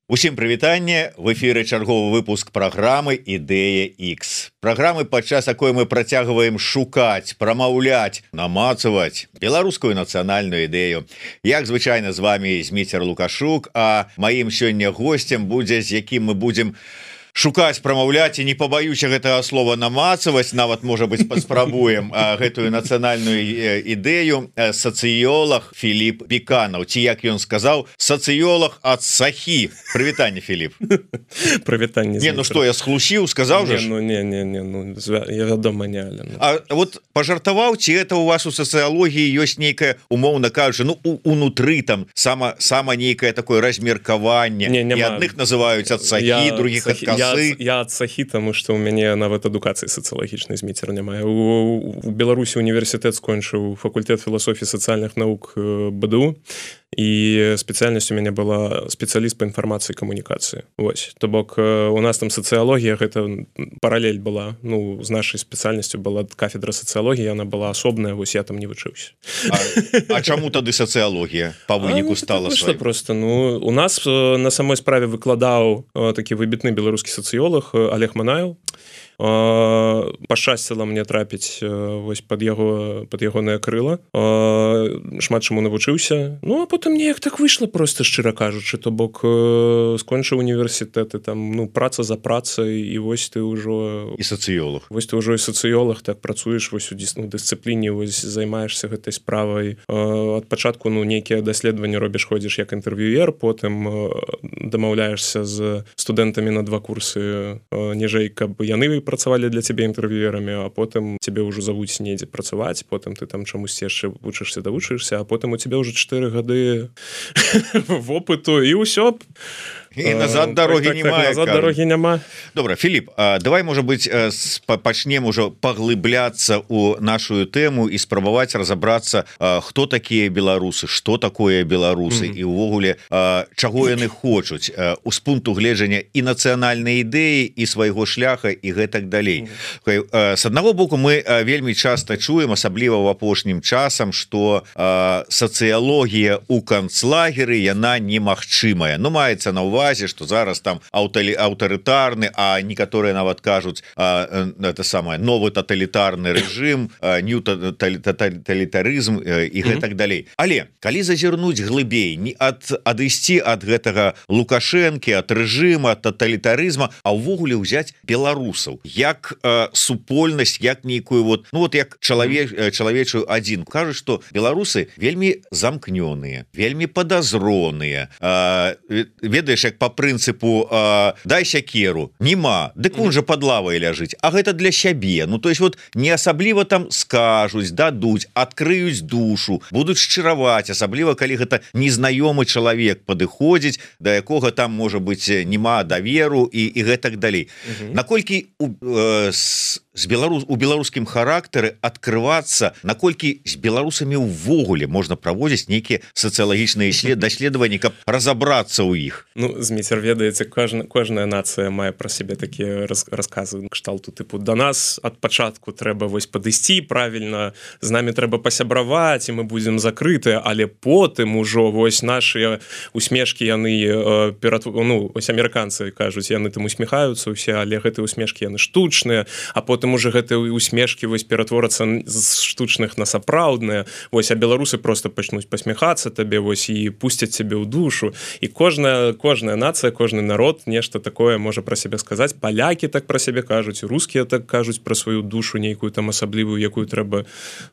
Усім прывітанне, в эфіры чарговы выпуск праграмы Ідэя X. Праграмы, падчас якой мы працягваем шукаць, прамаўляць, намацаваць беларускую нацыянальную ідэю. Як звычайна з вами Зміцер Лукашук, а маім сёння госцем будзе, з якім мы будзем шукаць, прамаўляць і не пабаюся гэтага слова намацаваць, нават можа быть паспрабуем гэтую нацыянальную ідэю. Сацыёлаг Філіп Біканаў, ці як ён сказаў, сацыёлаг ад Сахі. Прывітанне, Філіп. Прывітанне. Не, ну што, я схлусіў, сказаў же? Я вядома не але. А вот пажартаваў, ці это у вас у сацыялогіі ёсць нейкая, умоўна кажучы, ну унутры там сама нейкае такое размеркаванне, і адных называюць ад Сахі, других ад Касы. Я ад Сахі, таму што ў мяне нават адукацыі сацыялагічнай, Зміцер, няма. У Беларусі універсітэт скончыў факультэт філасофіі сацыяльных навук БДУ, і спецыяльнасць у мяне была спецыяліст па інфармацыі і камунікацыі. Вось, то бок у нас там сацыялогія, гэта паралель была, ну, з нашай спецыяльнасцю была кафедра сацыялогіі, яна была асобная, вось я там не вучыўся. А чаму тады сацыялогія па выніку стала сваёй? Просто, ну, у нас на самой справе выкладаў такі выбітны беларускі сацыёлаг Олег Манаеў. Пашчасціла мне трапіць вось пад ягонае крыла, шмат чаму навучыўся. Ну а потым неяк так выйшла, просто шчыра кажучы, то бок скончыў універсітэты, там, ну, праца за працай, і вось ты ўжо і сацыёлаг. Вось ты ўжо і сацыёлаг, так працуеш вось у дысцыпліне, вось займаешся гэтай справай. Ад пачатку, ну, нейкія даследаванні робіш, ходзіш як інтэрв'юер, потым дамаўляешся з студэнтамі на 2 курсы ніжэй, каб яны працавалі для цябе інтэрв'юерамі, а потым цябе ўжо завуць недзе працаваць, потым ты там чамусьці яшчэ вучышся, а потым у цябе ўжо 4 гады вопыту, і ўсё. І назад дарогі няма. Добра, Філіп, давай, можа быць, пачнем ужо паглыбляцца ў нашу тэму і спрабаваць разабрацца, хто такія беларусы, што такое беларусы, і ўвогуле чаго яны хочуць з пункту гледжання і нацыянальнай ідэі, і свайго шляха, і гэтак далей. З аднаго боку, мы вельмі часта чуем, асабліва ў апошнім часам, што сацыялогія ў канцлагеры яна немагчымая. Ну, маецца на ўвазе, что зараз там аўтарытарны, а некаторыя нават кажуць, это самае, новы таталітарны рэжым, нью таталітарызм і гэтак далей. Але калі зазірнуць глыбей, не адысці ад гэтага Лукашэнкі, ад рэжыма, ад таталітарызма, а ўвогуле ўзяць беларусаў як супольнасць, як нейкую вот, ну вот як чалавечую адзін. Кажуць, што беларусы вельмі замкнёныя, вельмі падазроныя, ведаеш, як по прынцыпу дай сякеру, нема, дык он жа пад лавай ляжыць, а гэта для сябе. Ну то есть вот не асабліва там скажуць, дадуць, адкрыюць душу, будуць шчыраваць, асабліва калі гэта незнаёмы чалавек падыходзіць, да якога там можа быць нема даверу і гэтак далей. Наколькі у беларускім характары адкрывацца, наколькі з беларусамі ўвогуле можна праводзіць нейкія сацыялагічныя даследаванні, каб разабрацца ў іх? Ну, Зміцер, ведаеце, кожная нацыя мае пра сябе такія расказы кшталту тыпу: да нас ад пачатку трэба вось падысці правільна, з намі трэба пасябраваць, і мы будзем закрытыя, але потым ужо вось нашыя усмешкі яны ну, ось амерыканцы кажуць, яны там усміхаюцца ўсе, але гэтыя усмешкі яны штучныя, а потым уже гэтыя усмешкі вось ператворацца з штучных на сапраўдныя. Вось, а беларусы просто пачнуць пасміхацца табе, вось, і пусцяць цябе ў душу. І кожная нацыя, кожны народ нешта такое можа пра сябе сказаць. Палякі так пра сябе кажуць, рускія так кажуць пра сваю душу нейкую там асаблівую, якую трэба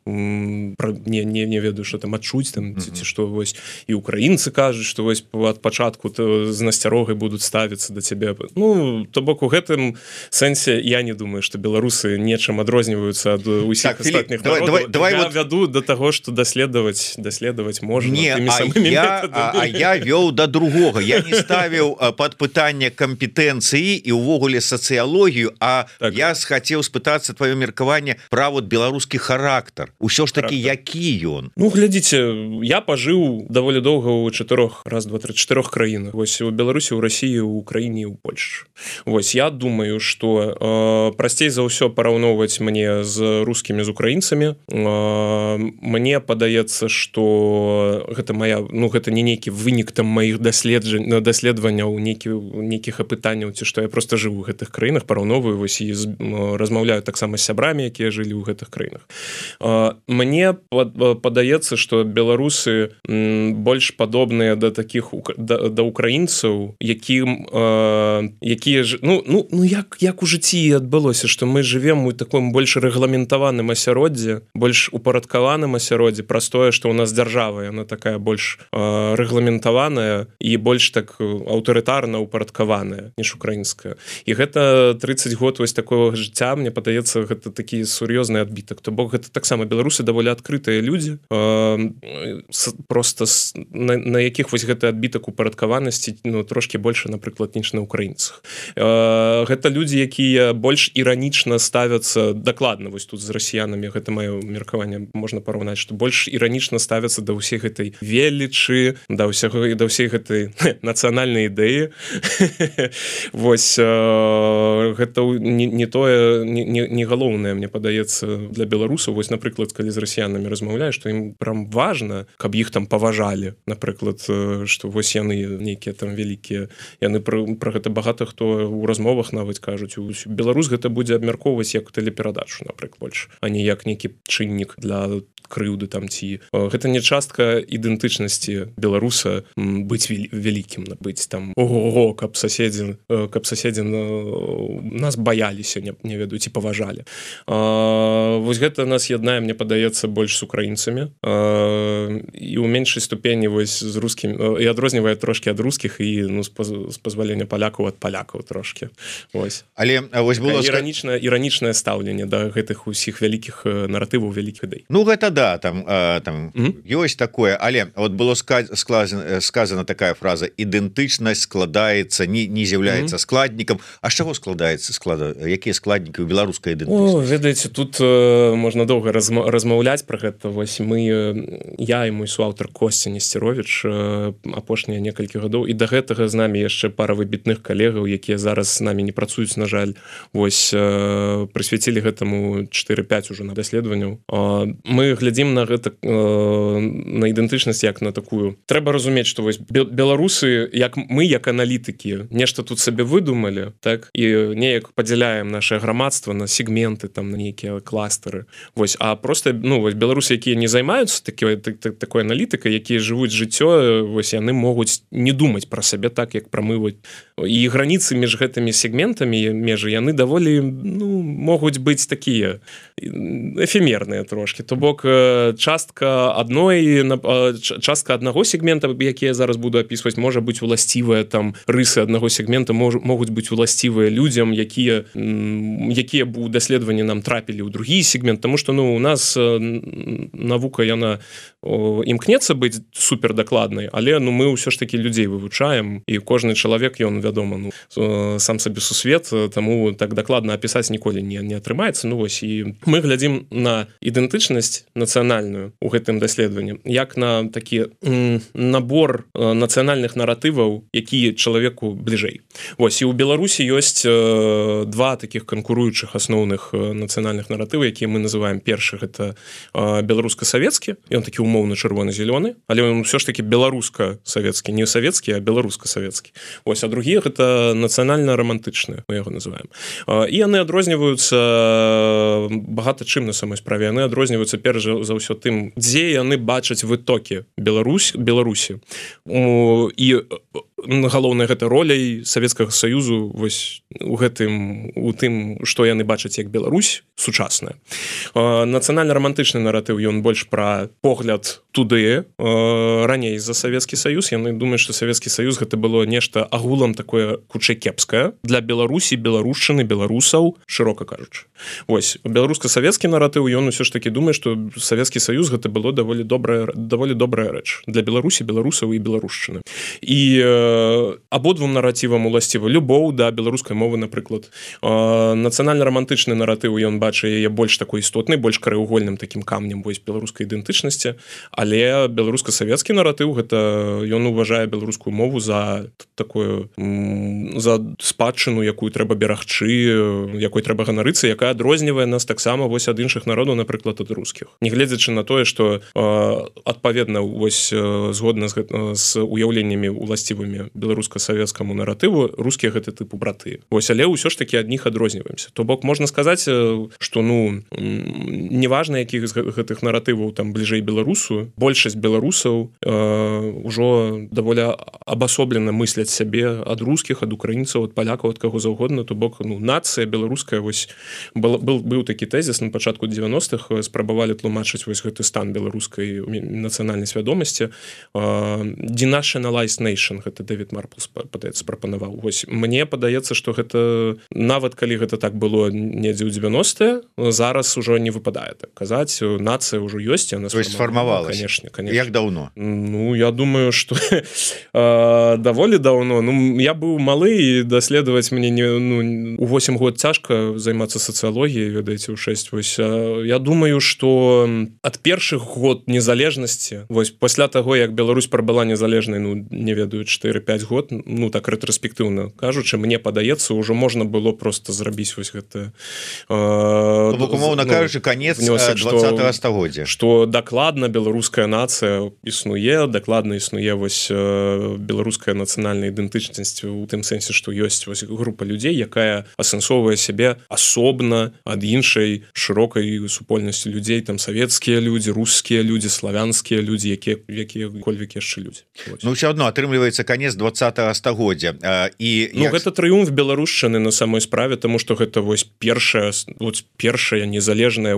не ведаю, што там адчуць там, ці што, вось, і украінцы кажуць, што вось ад пачатку з насцярогай будуць ставіцца да цябе. Ну, то бок у гэтым сэнсе я не думаю, што беларусы нечым адрозніваюцца ад усіх астатніх народаў. Я вяду да таго, што даследаваць можна тымі самымі метадамі. А я вёў да другога. Я не ставіў пад пытанне кампетэнцыі і ўвогуле сацыялогію, а так. Я хацеў спытацца тваё меркаванне пра вот беларускі характар. Усё ж такі, які ён? Ну, глядзіце, я пажыў даволі доўга ў 4 краінах. Вось у Беларусі, у Расіі, у Украіне і ў Польшчы. Вось я думаю, что прасцей за ўсё параўноўваць мне з рускімі, з украінцамі. Мне падаецца, что гэта моя, ну гэта не нейкі вынік там маіх даследаванняў, нейкіх апытанняў, ці што я просто жыву ў гэтых краінах, параўноўваю вось і размаўляю таксама з сябрамі, якія жылі ў гэтых краінах. Мне падаецца, что беларусы больш падобныя да таких да украінцаў, якія ж як у жыцці адбылося, што мы жывем у таком больш рэгламентаваным асяроддзі, больш упарадкаваным асяроддзі, праз тое, што ў нас дзяржава, яна такая больш рэгламентаваная і больш так аўтарытарна упарадкаваная, ніж украінская. І гэта 30 год вось такого жыцця, мне падаецца, гэта такі сур'ёзны адбітак. То бок гэта таксама беларусы даволі адкрытыя людзі, просто на якіх вось гэты адбітак упарадкаванасці трошки больше, напрыклад, ніж на украінцах. Гэта людзі, якія больш іранічна ставяцца, дакладна вось тут з расіянамі, гэта маё меркаванне можна параўнаць, што больш іранічна ставяцца да ўсей гэтай велічы, да ўсей гэтай нацыянальнай ідэі. Вось гэта не тое, не галоўнае, мне падаецца, для беларусаў. Вось, напрыклад, калі з расіянамі размаўляю, што ім прям важна, каб іх там паважалі, напрыклад, што вось яны нейкія там вялікія, яны пра гэта багата хто ў размовах нават кажуць, беларус гэта будзе абмяркоўваць як тэлеперадачу, напрыклад, больш, а не як нейкі чыннік для крыўды там ці. Гэта не частка ідэнтычнасці беларуса быць вялікім, быць там ого-го, каб соседзі нас баяліся, не ведаю, ці паважалі. Вось гэта нас яднае, мне падаецца, больш з украінцамі і ў меншай ступені вось з рускім, і адрознівае трошки ад рускіх і з пазвалення палякаў ад палякаў трошки. Вось. Але вось было іранічнае стаўленне да гэтых усіх вялікіх наратываў, вялікіх ідэй. Ну гэта да, там ёсць такое, але вот было сказана такая фраза: ідэнтычнасць складаецца, не з'яўляецца складнікам. А з чаго складаецца якія складнікі ў беларускай ідэнтычнасці? Ведаеце, тут можна доўга размаўляць пра гэта. Вось я і мой суаўтар Костя Несцерович апошнія некалькі гадоў, і да гэтага з намі яшчэ пара выбітных калегаў, якія зараз з намі не працуюць, на жаль, вось прысвяцілі гэтаму 4-5 ужо на даследаванняў. Мы глядзім на гэта, на ідэнтычнасць як на такую. Трэба разумець, што вось беларусы, як мы, як аналітыкі, нешта тут сабе выдумалі, так, і неяк падзяляем наше грамадства на сегменты, там, на нейкія кластары. Вось, а просто, вось беларусы, якія не займаюцца такой аналітыкай, якія жывуць жыццё, вось яны могуць не думаць пра сябе так, як пра мы. І граніцы між гэтымі сегментамі, межы, яны даволі, могуць быць такія эфемерныя трошки. То бок частка аднаго сегмента, які я зараз буду апісваць, можа быць уласцівая, там рысы аднаго сегмента могуць быць уласцівыя людзям, якія у даследаванні нам трапілі ў другі сегмент, тому што у нас навука, яна імкнецца быць супердакладнай, але мы ўсё ж такі людзей вывучаем, і кожны чалавек, ён, вядома, сам сабе сусвет, таму так дакладна апісаць ніколі не атрымаецца. Вось, і мы глядзім на ідэнтычнасць нацыянальную ў гэтым даследаванні як на такі набор нацыянальных наратываў, які чалавеку бліжэй. Вось, і ў Беларусі ёсць два такіх канкуруючых асноўных нацыянальных наратывы, якія мы называем. Першы — гэта беларуска-савецкі, ён такі умоўна чырвона-зялёны, але ён ўсё ж такі беларуска-савецкі, не савецкі, а беларуска-савецкі. Вось, а другі — гэта нацыянальна-рамантычны, мы яго называем. І яны адрозніваюцца багата чым на самой справе. Яны адрозніваюцца перш за ўсё тым, дзе яны бачаць вытокі Беларусі. І галоўнае гэта роляй Савецкага Саюзу вось у тым, што яны бачаць як Беларусь сучасная. Нацыянальна-рамантычны наратыў, ён больш пра погляд туды, раней за Савецкі Саюз. Яны думаюць, што Савецкі Саюз гэта было нешта агулам такое хутчэй кепскае для Беларусі, беларушчыны, беларусаў, шырока кажучы. Вось, беларуска-савецкі наратыў, ён усё ж такі думае, што Савецкі Саюз гэта было даволі добрая рэч для Беларусі, беларусаў і беларушчыны. І абодвум наратывам уласціва любоў да беларускай мовы, напрыклад. Нацыянальна-рамантычны наратыў ён бачыць яе больш такой істотнай, больш краеугольным такім камнем вось беларускай ідэнтычнасці, але беларуска-савецкі наратыў гэта ён уважае беларускую мову за такую за спадчыну, якую трэба берагчы, якой трэба ганарыцца, якая адрознівае нас таксама вось ад іншых народаў, напрыклад, ад рускіх. Нягледзячы на тое, што адпаведна вось згодна з уяўленнямі уласцівымі беларуска-савецкаму наратыву, рускія гэта тыпу браты. Вось, але ўсё ж такі ад них адрозніваемся. То бок можна сказаць, што неважна, якіх з гэтых наратываў там бліжэй беларусу, большасць беларусаў ужо даволі абасоблена мысляць сябе ад рускіх, ад украінцаў, ад палякаў, ад каго заўгодна. То бок нацыя беларуская вось быў такі тэзіс на пачатку 90-х, спрабавалі тлумачыць вось гэты стан беларускай нацыянальнай свядомасці. Denationalized nation, гэта Дэвід Марпл падаецца прапанаваў. Вось мне падаецца, што гэта нават калі гэта так было недзе ў 90-е, зараз ужо не выпадае так казаць. Нацыя ўжо ёсць, яна сфармавалась. Конечно. Як даўно? Я думаю, што даволі даўно. Я быў малы, і даследаваць мне у 8 год цяжка займацца сацыялогіяй, ведаеце, у 6. Вось я думаю, што ад першых год незалежнасці, вось пасля таго, як Беларусь прабыла незалежнай, не ведаю, 4-5 год, так рэтраспектыўна кажучы, мне падаецца, ўжо можна было просто зрабіць вось гэта умоўна кажучы, канец 20-го стагоддзя, што дакладна беларуская нацыя існуе, дакладна існуе вось беларуская нацыянальная ідэнтычнасць у тым сэнсе, што ёсць вось група людзей, якая асэнсоўвае сябе асобна ад іншай шырокай супольнасці людзей, там савецкія людзі, рускія людзі, славянскія людзі, якія-кольвек яшчэ людзі. Ўсё адно атрымліваецца канец 20-го стагоддзя. Гэта трыумф беларушчыны на самой справе, таму што гэта вось першая незалежная,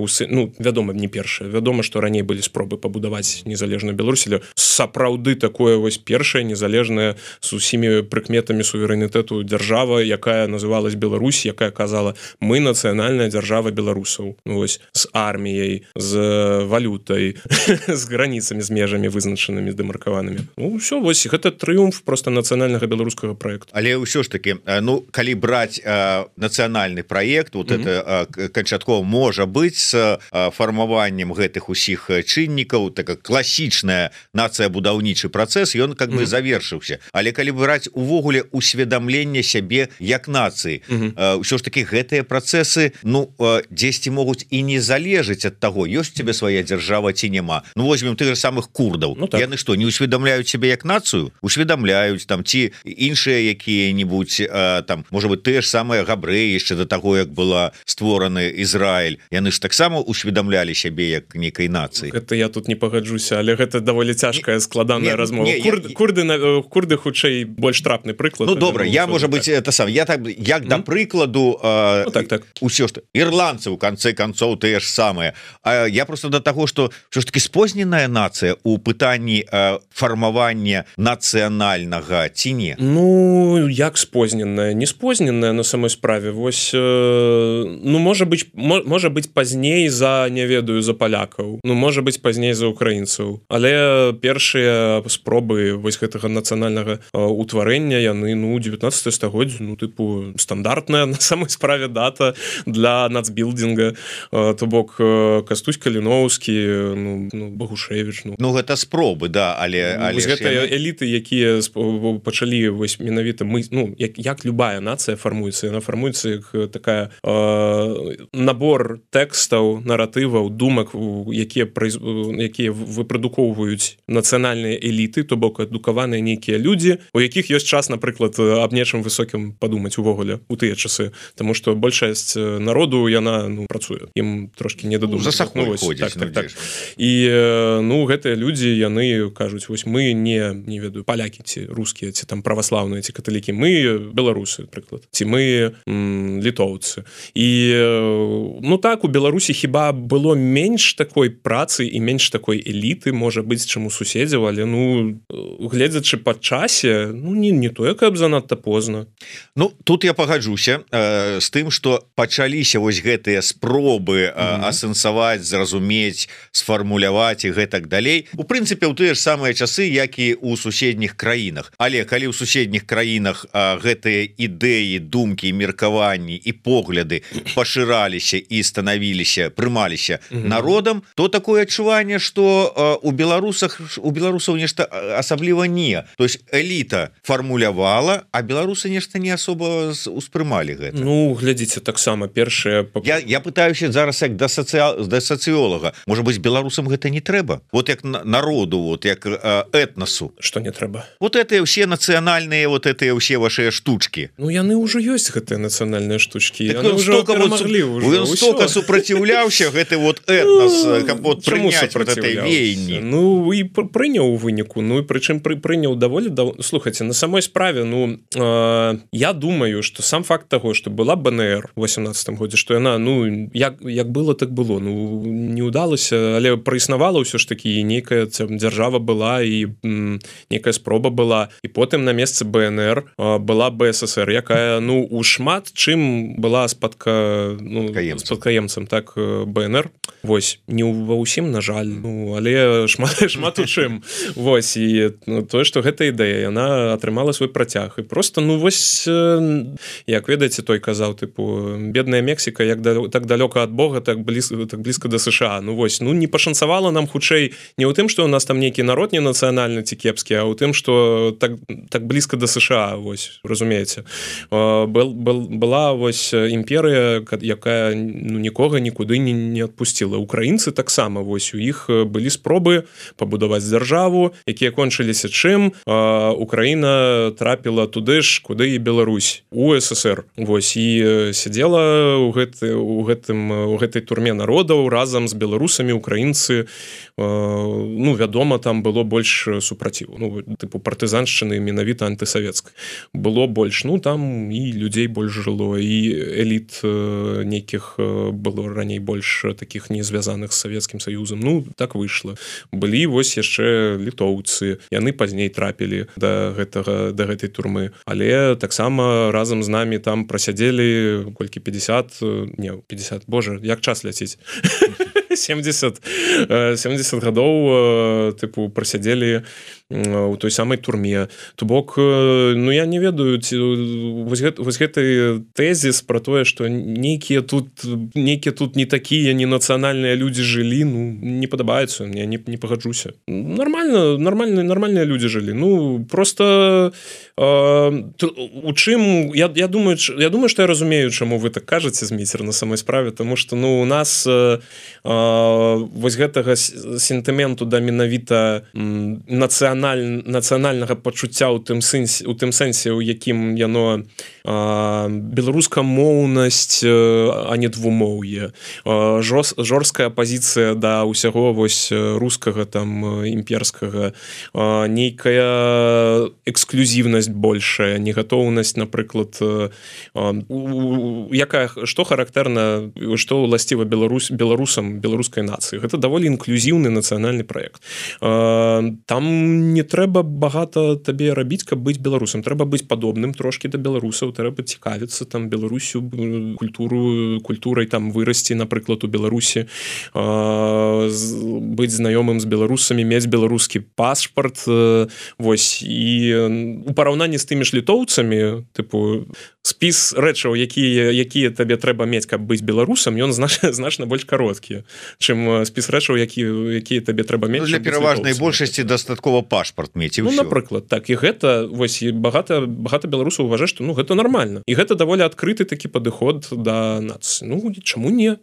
вядома, не першая, вядома, што раней былі спробы пабудаваць незалежную Беларусь, але сапраўды такое вось першая незалежная з усімі прыкметамі суверэнітэту дзяржава, якая называлась Беларусь, якая казала: мы нацыянальная дзяржава беларусаў, вось з арміяй, з валютай, з граніцамі, з межамі вызначанымі, дэмаркаванымі. Ўсё, вось гэта трыумф просто нацыянальнага беларускага праекту. Але ўсё ж таки, калі браць нацыянальны праект, вот это канчаткова можа быць з фармаваннем гэтых усіх чыннікаў, такая класічная нацыя-будаўнічы працэс, ён как бы завершыўся. Але калі браць увогуле усведамленне сябе як нацыі, ўсё ж таки гэтыя працэсы дзесьці могуць і не залежыць ад таго, ёсць у цябе свая дзяржава ці няма. Возьмем тых же самых курдаў. Яны што, не усведамляюць сябе як нацыю? Усведамляюць там, ці іншыя якія-нибудь там, можа быть, тыя ж самыя габрэі яшчэ да таго, як была створаны Ізраіль, яны ж таксама усведамлялі сябе як некай нацыі. Гэта я тут не пагаджуся, але гэта даволі цяжкая складаная размова. Курды хутчэй больш трапны прыклад. Добра, я, можа быть, это сам, я так, як да прыкладу усё ж ірландцы у канцы канцоў тыя ж самыя. Я просто да таго, што ўсё ж таки спозненая нацыя у пытанні фармавання нацыянальнага ці не? Як спозненая? Не спозненая на самой справе. Вось, можа быць пазней за, не ведаю, за палякаў. Можа быць пазней за украінцаў. Але першыя спробы вось гэтага нацыянальнага утварэння, яны, 19 стагоддзя, стандартная на самой справе дата для нацбілдинга. То бок Кастусь Каліноўскі, Багушевіч. Гэта спробы, да, але гэта эліты, якія пачалі вось менавіта як любая нацыя фармуецца, яна фармуецца як такая набор тэкстаў, наратываў, думак, якія выпрадукоўваюць нацыянальныя эліты, то бок адукаваныя нейкія людзі, у якіх ёсць час, напрыклад, аб нечым высокім падумаць увогуле у тыя часы, таму што большасць народу яна працуе, ім трошки не дадумаць. За сахой ходзіць. І гэтыя людзі, яны кажуць: вось мы не ведаю, палякі ці рускія, ці там праваслаўныя, ці каталікі, мы беларусы, прыклад, ці мы літоўцы. І так, у Беларусі хіба было менш такой працы і менш такой эліты, можа быць, чым у суседзяў, але гледзячы па часе, не тое, каб занадта позна. Тут я пагаджуся з тым, што пачаліся вось гэтыя спробы асэнсаваць, зразумець, сфармуляваць і гэтак далей. У прынцыпе, у тыя ж самыя часы, як і ў суседніх краінах. краінах, але калі ў суседніх краінах гэтыя ідэі, думкі, меркаванні і погляды пашыраліся і станавіліся, прымаліся народам, то такое адчуванне, што у беларусаў нешта асабліва не. То есть эліта фармулявала, а беларусы нешта не асоба успрымалі гэта. Ну, глядзіце, таксама першае... Я пытаюся зараз як да сацыолага. Можа быць, беларусам гэта не трэба? Вот як народу, вот як этнасу. Што не трэба? Вот это ўсе нацыянальныя, вот это ўсе вашыя штучкі. Ну, яны ўжо ёсць, гэтыя нацыянальныя штучкі. Так яны ўжо перамаглі. Ён столько супраціўляўся, гэты вот этнас, каб вот прыняць вот этой веянні. Ну, і прыняў у выніку. Ну, і прычым прыняў даволі... Слухайце, на самой справе, ну, я думаю, што сам факт таго, што была БНР у 18-м годзе, што яна, ну, як было, так было. Ну, не ўдалася, але праіснавала ўсё ж такі, і нейкая дзяржава была, і нейкая спроба была. І потым на месцы БНР была БССР, якая, ну, у шмат чым была спадкаемцам, так, БНР. Вось, не ва ўсім, на жаль, ну, але шмат у чым. Вось, і тое, што гэта ідэя, яна атрымала свой працяг. І просто, ну, вось, як ведаеце, той казаў, тыпу, бедная Мексіка, так далёка ад Бога, так блізка да США. Ну, вось, ну, не пашанцавала нам хутчэй не ў тым, што ў нас там нейкі народ не нацыянальны ці кепскі, а ў тым, што так блізка да США, вось, разумееце. Была, вось, імперыя, якая, ну, нікога нікуды не адпусціла. Украінцы таксама, вось, у іх былі спробы пабудаваць дзяржаву, якія кончыліся чым? Украіна трапіла туды ж, куды і Беларусь, у СССР. Вось, і сядзела ў гэтай турме народаў разам з беларусамі, украінцы, ну, вядома, там было больш супраціву, ну, тыпу партызаншчыны менавіта антысавецкай. Было больш, ну, там і людзей больш жыло, і эліт нейкіх было раней больш такіх не звязаных з Савецкім Саюзам. Ну, так выйшла. Былі, вось, яшчэ літоўцы. Яны пазней трапілі да гэтай турмы. Але таксама разам з намі там прасядзелі колькі 50, боже, як час ляціць. 70 гадоў, тыпу, прасядзелі у той самай турме. То бок, ну, я не ведаю, вось гэты тэзіс пра тое, што нейкія тут не такія, не нацыянальныя людзі жылі, ну, не падабаецца, мне не пагаджуся. Нормальныя людзі жылі. Ну, просто у чым, я думаю, што я разумею, чаму вы так кажаце, Зміцер, на самой справе, тому што, ну, у нас вось гэтага сентыменту да менавіта нацыянальнага пачуцця у тым сэнсе, у якім яно беларускамоўнасць, а не двумоўе, жорсткая пазіцыя да ўсяго вось рускага, там, імперскага, нейкая эксклюзіўнасць большая, негатоўнасць, напрыклад, што характэрна, што ўласціва беларусам, беларускай нацыі. Гэта даволі інклюзіўны нацыянальны праект. Там не трэба багата табе рабіць, каб быць беларусам. Трэба быць падобным трошкі да беларусаў, трэба цікавіцца там Беларусю, культурай там вырасці, напрыклад, у Беларусі, быць знаёмым з беларусамі, мець беларускі пашпарт, вось, і у параўнанні з тымі ж літоўцамі, тыпу, спіс рэчаў, якія табе трэба мець, каб быць беларусам, ён значна больш кароткі, чым спіс рэчаў, якія табе трэба мець. Для пераважнай большасці дастаткова пашпарт мець, і ўсё. Ну, напрыклад, так, і гэта, вось, і багата беларусаў уважае, што, ну, гэта нармальна. І гэта даволі адкрыты такі падыход да нацыі. Ну, чаму не?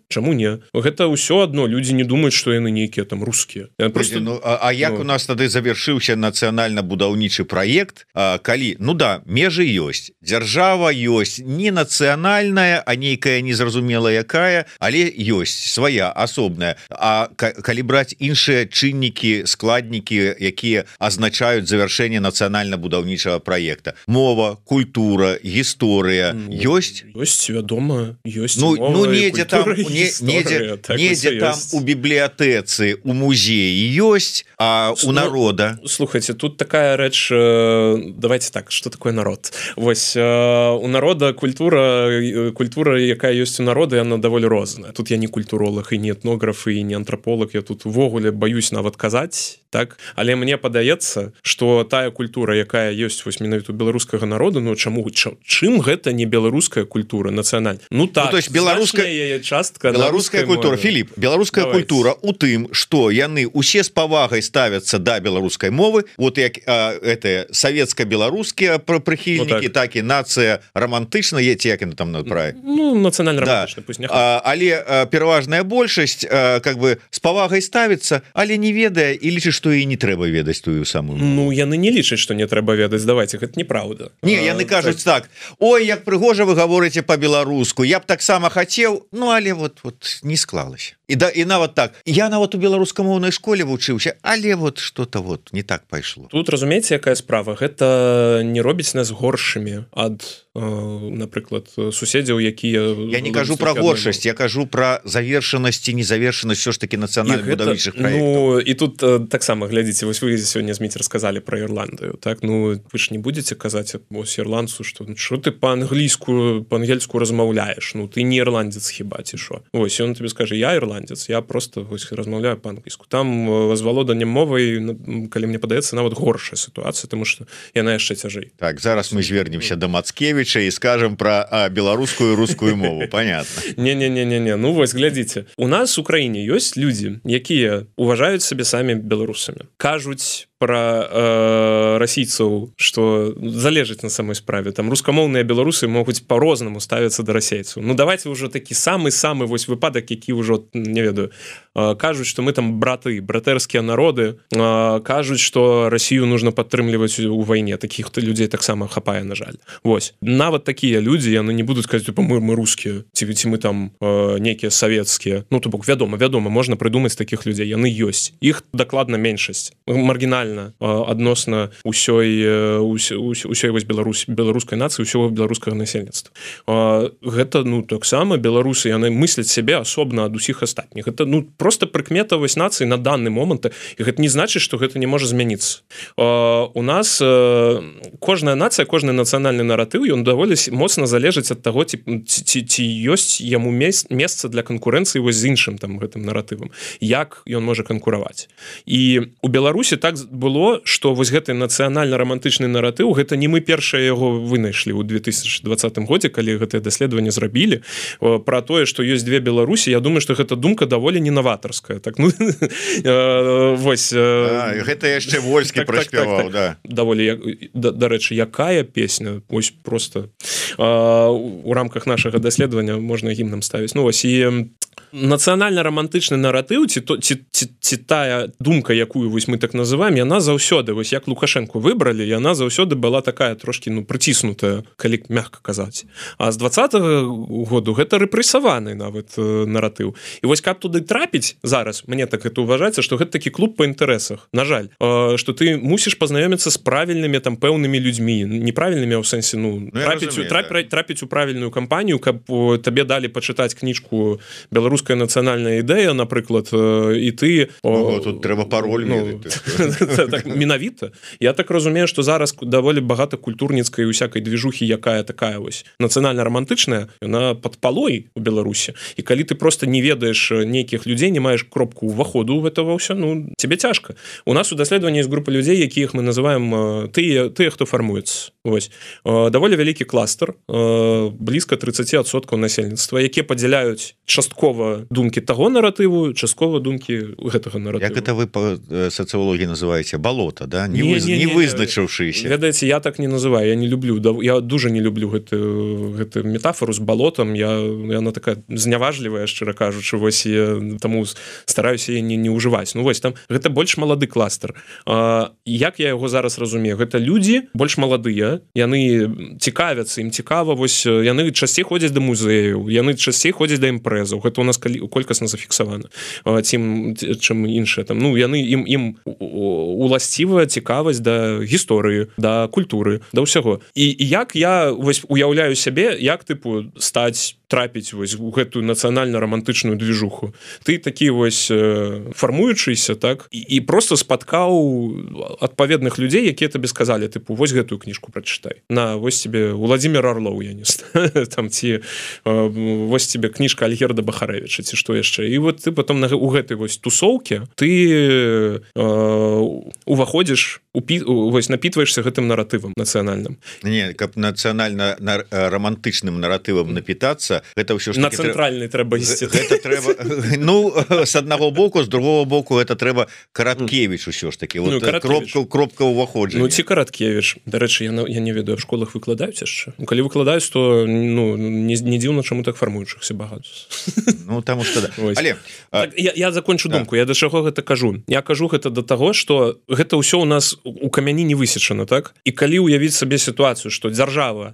Гэта ўсё адно, людзі не думаюць, што яны нейкія там рускія. Як у нас тады завяршыўся нацыянальна-будаўнічы праект, калі, ну да, межы ёсць, дзяржава ёсць, не нацыянальная, а нейкая незразумела якая, але ёсць свая, асобная. А калі браць іншыя чыннікі, складнікі, якія азначаюць завяршэнне нацыянальна-будаўнічага праекта, мова, культура, гісторыя, ёсць? Ёсць, вядома, ёсць мова, недзе культура, там, недзе там у бібліятэцы, у музеі ёсць, а у народа. Слухайце, тут такая рэч, давайте так, што такое народ? Вось, у народа культура, якая ёсць у народа, яна даволі розная. Тут я не культуролог, і не этнограф, і не антрополог, я тут увогуле баюсь нават казаць, так, але мне падаецца, што тая культура, якая ёсць вось менавіта беларускага народу, ну чаму чым гэта не беларуская культура нацыянальная? Ну так, то есть беларуская частка, беларуская культура, Філіп, беларуская культура у тым, што яны усе з павагай ставяцца да беларускай мовы, вот як это савецка-беларускія прыхільнікі, так і нацыя романтычна, як яны там правильно? Ну, нацыянальна-романтычна, пусть няхай. Але пераважная большасць как бы з павагай ставіцца, але не ведае і лічыць, што і не трэба ведаць тую самую мову. Ну, яны не лічаць, што не трэба ведаць, давайте, гэта неправда. Не, яны кажуць так, ой, як прыгожа вы гаворыце по-беларуску, я б таксама хацеў, ну, але вот не склалася. І нават так, я нават у беларускамоўнай школе вучыўся, але вот что-то вот не так пайшло. Тут разумееце, якая справа, гэта не робіць нас горшымі ад, напрыклад, суседзяў, якія... Я не кажу про горшасць, я кажу про завершанасць і незавершанасць все ж таки нацыянальна-будаўнічых праектаў. Ну, і тут таксама, глядзіце, вось вы сёння Зміцер сказалі про Ірландыю, так, ну, вы ж не будете казаць вось ірландцу, што ты па-ангельску размаўляеш, ну, ты не ірландзец хіба, ці шо? Вось, ён тебе скажа, я ірландзец, я просто вось размаўляю па-англійску. Там з валоданнем мовай, калі мне падаецца, нават горшая сітуацыя, тому што яна яшчэ цяжэй. Так, зараз мы звернемся да Мацкевіча і скажам про беларускую і рускую мову, понятно. Не, ну вось, глядзіце, у нас у краіне ёсць людзі, якія уважаюць сабе самі беларусамі, кажуць про расійцаў, што залежыць на самой справе, там рускамоўныя беларусы могуць по-рознаму ставіцца да расейцаў. Ну давайте ўжо такі самы вось выпадак, які ўжо, не ведаю, кажуць, што мы там братэрскія народы, кажуць, што Расію нужно падтрымліваць у вайне, такіх людзей таксама хапае, на жаль. Вось, нават такія людзі, яны не будуць казаць, мы рускія, ці мы там нейкія савецкія. Ну, то бок, вядома, можна прыдумаць такіх людзей, яны ёсць. Іх дакладна меншасць, маргінальна адносна ўсёй вось беларускай нацыі, ўсёго беларускага насельніцтва. Гэта, ну, таксама беларусы, яны мысляць сябе асобна ад усіх астатніх. Гэта, ну, просто прыкметавасць нацыі на данный момант, і гэта не значыць, што гэта не можа змяніцца. У нас кожная нацыя, кожны нацыянальны наратыў, ён даволі моцна залежыць ад таго, ці ёсць яму месца для канкурэнцыі вось з іншым там гэтым наратывам, як ён можа канкураваць. І у Беларусі так было, што вось гэты нацыянальна-рамантычны наратыў, гэта не мы першыя яго вынайшлі ў 2020 годзе, калі гэтае даследаванне зрабілі, пра тое, што ёсць две Беларусі. Я думаю, што гэта думка даволі не новаторская. Так, ну, вось... Гэта яшчэ Вольскі праспяваў, да. Даволі, дарэчы, якая песня, вось просто у рамках нашага даследавання можна гімнам ставіць. Ну, вось, і нацыянальна-рамантычны наратыў, ці тая думка, якую вось мы так называем, яна заўсёды, вось як Лукашенко выбралі, яна заўсёды была такая трошки, ну, прыціснутая, калі мягка казаць. А з 20-го году гэта рэпрэсаваны нават наратыў. І вось каб туды трапіць зараз, мне так это ўважаецца, што гэта такі клуб па інтарэсах. На жаль, што ты мусіш пазнаёміцца з правільнымі там пэўнымі людзьмі, неправільнымі ў сэнсе, ну, трапіць у правільную кампанію, каб табе далі пачытаць кніжку «Беларуская нацыянальная ідэя», напрыклад, і ты... Тут трэба пароль так, менавіта. Я так разумею, што зараз даволі багата культурніцкай усякай движухі, якая такая вось нацыянальна-рамантычная, яна пад палой у Беларусі. І калі ты просто не ведаеш нейкіх людзей, не маеш кропку ўваходу ў гэтага ўсё, ну, тебе цяжка. У нас у даследаванні ёсць група людзей, якіх мы называем тыя, хто фармуецца. Вось. Даволі вялікі кластер, блізка 30% насельніцтва, якія падзяляюць часткова думкі таго наратыву, часткова думкі гэтага наратыву. Як это вы по сацыялогіі называеце? Балота, да? Не вызначыўшыся. Ведаеце, я так не называю, я не люблю, я дуже не люблю гэту метафору з балотам, яна такая зняважлівая, шчыра кажучы, вось, таму стараюся яе не ўжываць. Ну вось, там гэта больш малады кластер. Як я яго зараз разумею? Гэта людзі больш маладыя, яны цікавяцца, ім цікава, вось, яны часцей ходзяць да музеяў, яны часцей ходзяць да імпрэзаў. Гэта у нас колькасна зафіксавана, чым іншыя там. Ну, яны ім уласцівая цікавасць да гісторыі, да культуры, да ўсяго. І як я вось уяўляю сябе, як тыпу стаць трапіць вось у гэтую нацыянальна-рамантычную движуху. Ты такі вось фармуючыся, так, і просто спаткаў адпаведных людзей, якія табе сказалі, тыпу, вось гэтую кніжку прачытай на вось тебе Владимир Орлоў, я не там ці вось тебе кніжка Альгерда Бахарэвіча ці што яшчэ, і вот ты потом у гэтай вось тусоўкі ты уваходзіш вось напітваешься гэтым наратывам нацыянальным. Не, каб нацыянальна романтычным наратывам напітацца, гэта ўсё ж на цэнтральны трэба ісці. Гэта трэба, ну, з аднаго боку, з другого боку гэта трэба Караткевіч усё ж таки, вот кропка ўваходжання. Ну ці Караткевіч, дарэчы, я не ведаю, в школах выкладаюць яшчэ. Ну, калі выкладаюць, то ну не дзіўна, чаму так фармуючыхся багато. Ну таму што да. Але я закончу думку. Я да чаго гэта кажу? Я кажу гэта да таго, што гэта ўсё у нас у камяні не высечана, так? І калі уявіць сабе сітуацыю, што дзяржава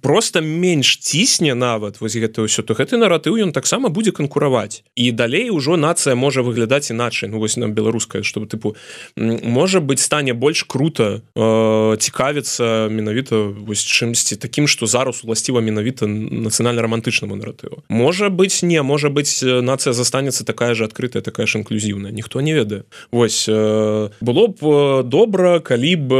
просто менш цісне нават вось гэта ўсё, то гэты наратыў ён таксама будзе канкураваць. І далей ужо нацыя можа выглядаць іначай. Ну вось нам беларуская, што тыпу можа быць стане больш крута цікавіцца менавіта вось чымсьці такім, што зараз уласціва менавіта нацыянальна-романтычнаму наратыву. Можа быць не, можа быць нацыя застанецца такая ж адкрытая, такая ж інклюзіўная. Ніхто не ведае. Вось было б добра, калі б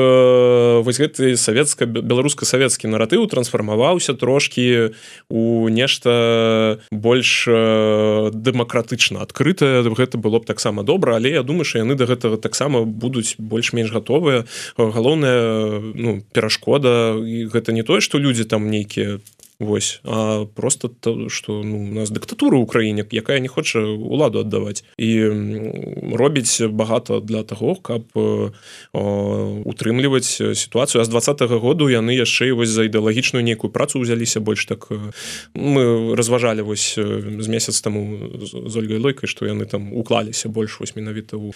вось гэты беларуска-савецкі наратыў трансфармаваўся трошкі у нешта больш дэмакратычна адкрытае. Гэта было б таксама добра, але я думаю, што яны да гэтага таксама будуць больш-менш гатовыя. Галоўная перашкода, і гэта не тое, што людзі там нейкія вось, а просто то, што у нас дыктатура ў краіне, якая не хоча ўладу аддаваць, і робіць багата для таго, каб утрымліваць сітуацыю. А з 20-го году яны яшчэ вось за ідэалагічную нейкую працу ўзяліся больш так. Мы разважалі вось з месяц таму з Ольгай Лойкай, што яны там уклаліся больш вось менавіта ў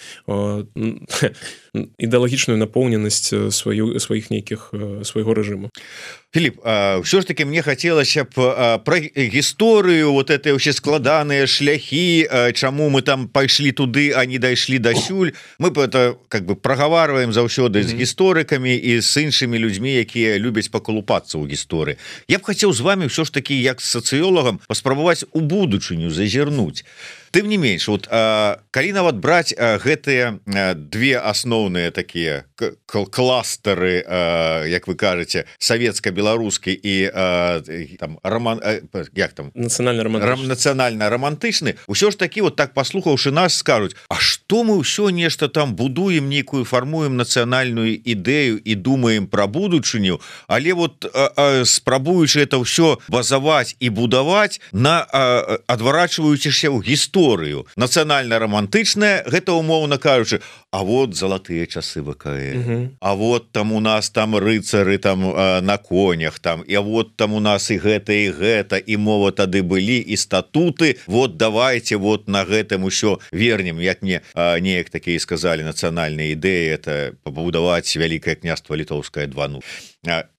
ідэалагічную напоўненасць сваіх нейкіх свайго рэжыму. Філіп, ўсё ж таки мне хацелася б пра гісторыю, вот это ўсе складаныя шляхі, чаму мы там пайшлі туды, а не дайшлі дасюль. Мы это как бы прагаварваем заўсёды з гісторыкамі і з іншымі людзьмі, якія любяць пакалупацца ў гісторыі. Я б хацеў з вами ўсё ж таки як з сацыёлагам паспрабаваць у будучыню зазірнуць. Тым не менш, вот калі нават браць гэтыя две асноўныя такія кластары, як вы кажаце, савецка-беларускі і там нацыянальна-романтычны, ўсё ж такі вот так паслухаўшы нас скажуць: а што мы ўсё нешта там будуем, нейкую фармуем нацыянальную ідэю і думаем пра будучыню, але вот спрабуючы это ўсё базаваць і будаваць на адварачваючыся ў гісторыю. Нацыянальна-романтычная, гэта умоўна кажучы, а вот залатыя часы ВКЛ, а вот там у нас там рыцары там на конях там, і вот там у нас і гэта, і мова тады былі, і статуты, вот давайте вот на гэтым усё вернем, як мне неяк такія сказалі, нацыянальная ідэя это пабудаваць вялікае княства літоўскае 2.0.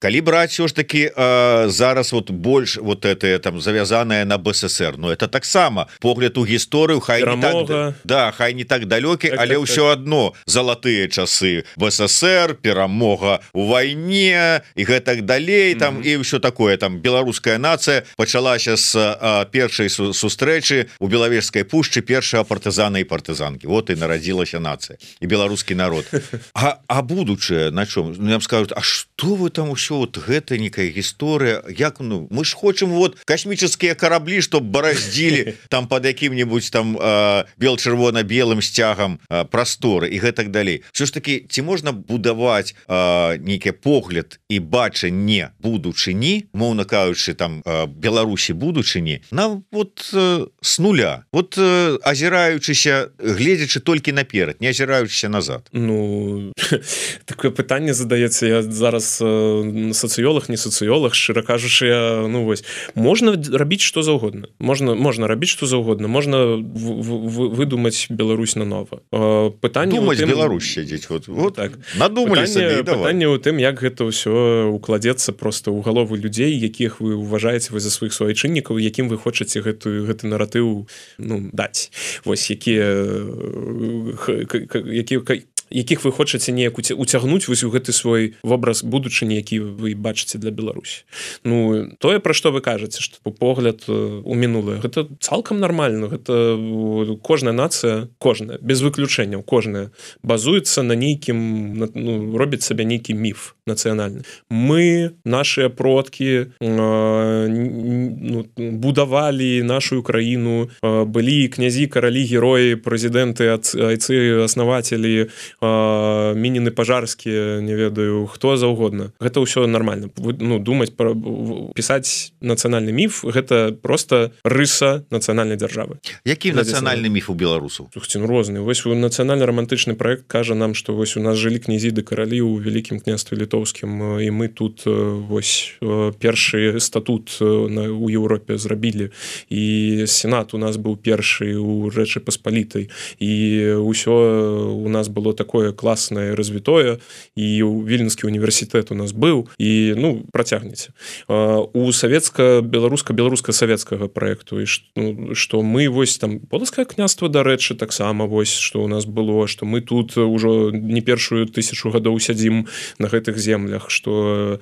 Калі браць все ж таки зараз вот больш вот это там завязанное на БССР, но это таксама погляд у гісторыю, хай не так, да, хай не так далёкі, але ўсё адно залатыя часы БССР, перамога у вайне і гэтак далей там, і ўсё такое там. Беларуская нацыя пачалася з першай сустрэчы у Белавежскай пушчы першага партызана і партызанкі. Вот і нарадзілася нацыя і беларускі народ. А будучае на чым? Нам скажуць: а што вы там усё, вот гэта некая гісторыя, як, ну, мы ж хочам вот космические корабли, чтоб бараздзілі там под якім-нибудь там бел-чырвона-белым сцягам прасторы і гэтак далей. Все ж таки, ці можна будаваць нейкі погляд і бачанне будучыні, моўна кажучы, там Беларусі будучыні, на вот с нуля, вот азіраючыся, гледзячы толькі наперад, не азіраючыся назад. Ну, такое пытанне задаецца. Я зараз сацыёлог, не сацыёлог, шчыра кажучы, ну вось, можна рабіць што заўгодна, можна рабіць што заўгодна, можна выдумаць Беларусь нанова. Пытанне думаць Беларусь сядзець, вот так надумаліся. Пытанне ў тым, як гэта ўсё укладзецца просто ў галовы людзей, якіх вы уважаеце вы за сваіх суайчыннікаў, якім вы хочаце гэты наратыў, ну, даць. Вось якіх вы хочаце неяк уцягнуць вось у гэты свой вобраз будучыні, які вы бачыце для Беларусі. Ну, тое, пра што вы кажаце, што погляд у мінулае, гэта цалкам нармальна. Гэта кожная нацыя, без выключэнняў, кожная базуецца на нейкім, ну, робіць сабе нейкі міф нацыянальны. Мы, нашыя продкі будавалі нашу краіну, былі князі, каралі, героі, прэзідэнты, айцы, аснавацелі, мініны пажарскія, не ведаю, хто заўгодна. Гэта ўсё нормально. Думаць, пісаць нацыянальны міф, гэта просто рыса нацыянальнай дзяржавы. Які нацыянальны міф у беларусаў? Розны. Вось нацыянальна-рамантычны праект кажа нам, што вось у нас жылі князі ды каралі ў вялікім княстве літоўскім, і мы тут вось першы статут у Еўропе зрабілі, і сенат у нас быў першы у Рэчы Паспалітай, і ўсё у нас было такое класнае, развітое, і Вільнюскі універсітэт у нас быў, і працягнеце. У беларуска-савецкага праекту, што мы вось там полацкае княства, дарэчы, таксама вось, што у нас было, што мы тут ужо не першую 1000 гадоў сядзім на гэтых землях, што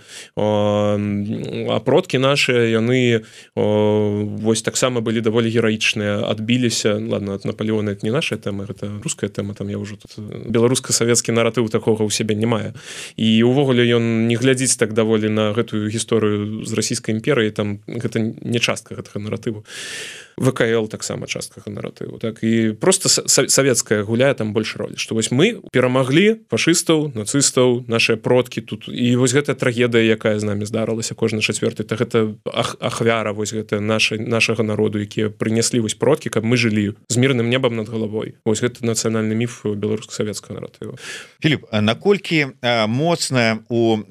продкі нашыя, яны вось таксама былі даволі гераічныя, адбіліся, ладно, ад Наполеона это не наша тэма, гэта руская тэма, там я ўжо тут беларуска-савецкі наратыў такога ў сябе не мае. І увогуле ён не глядзіць так даволі на гэтую гісторыю з расійскай імперыі, там гэта не частка гэтага наратыву. ВКЛ таксама частка наратыву, так, і просто савецкая гуляе там больш ролі, што вось мы перамаглі фашыстаў, нацыстаў, нашыя продкі тут, і вось гэта трагедыя, якая з намі здарылася кожны чацвёрты, так гэта ахвяра вось гэта нашага народу, якія прынеслі вось продкі, каб мы жылі з мірным небам над галавой. Вось гэта нацыянальны міф беларуска-савецкага наратыву. Філіп, наколькі моцна у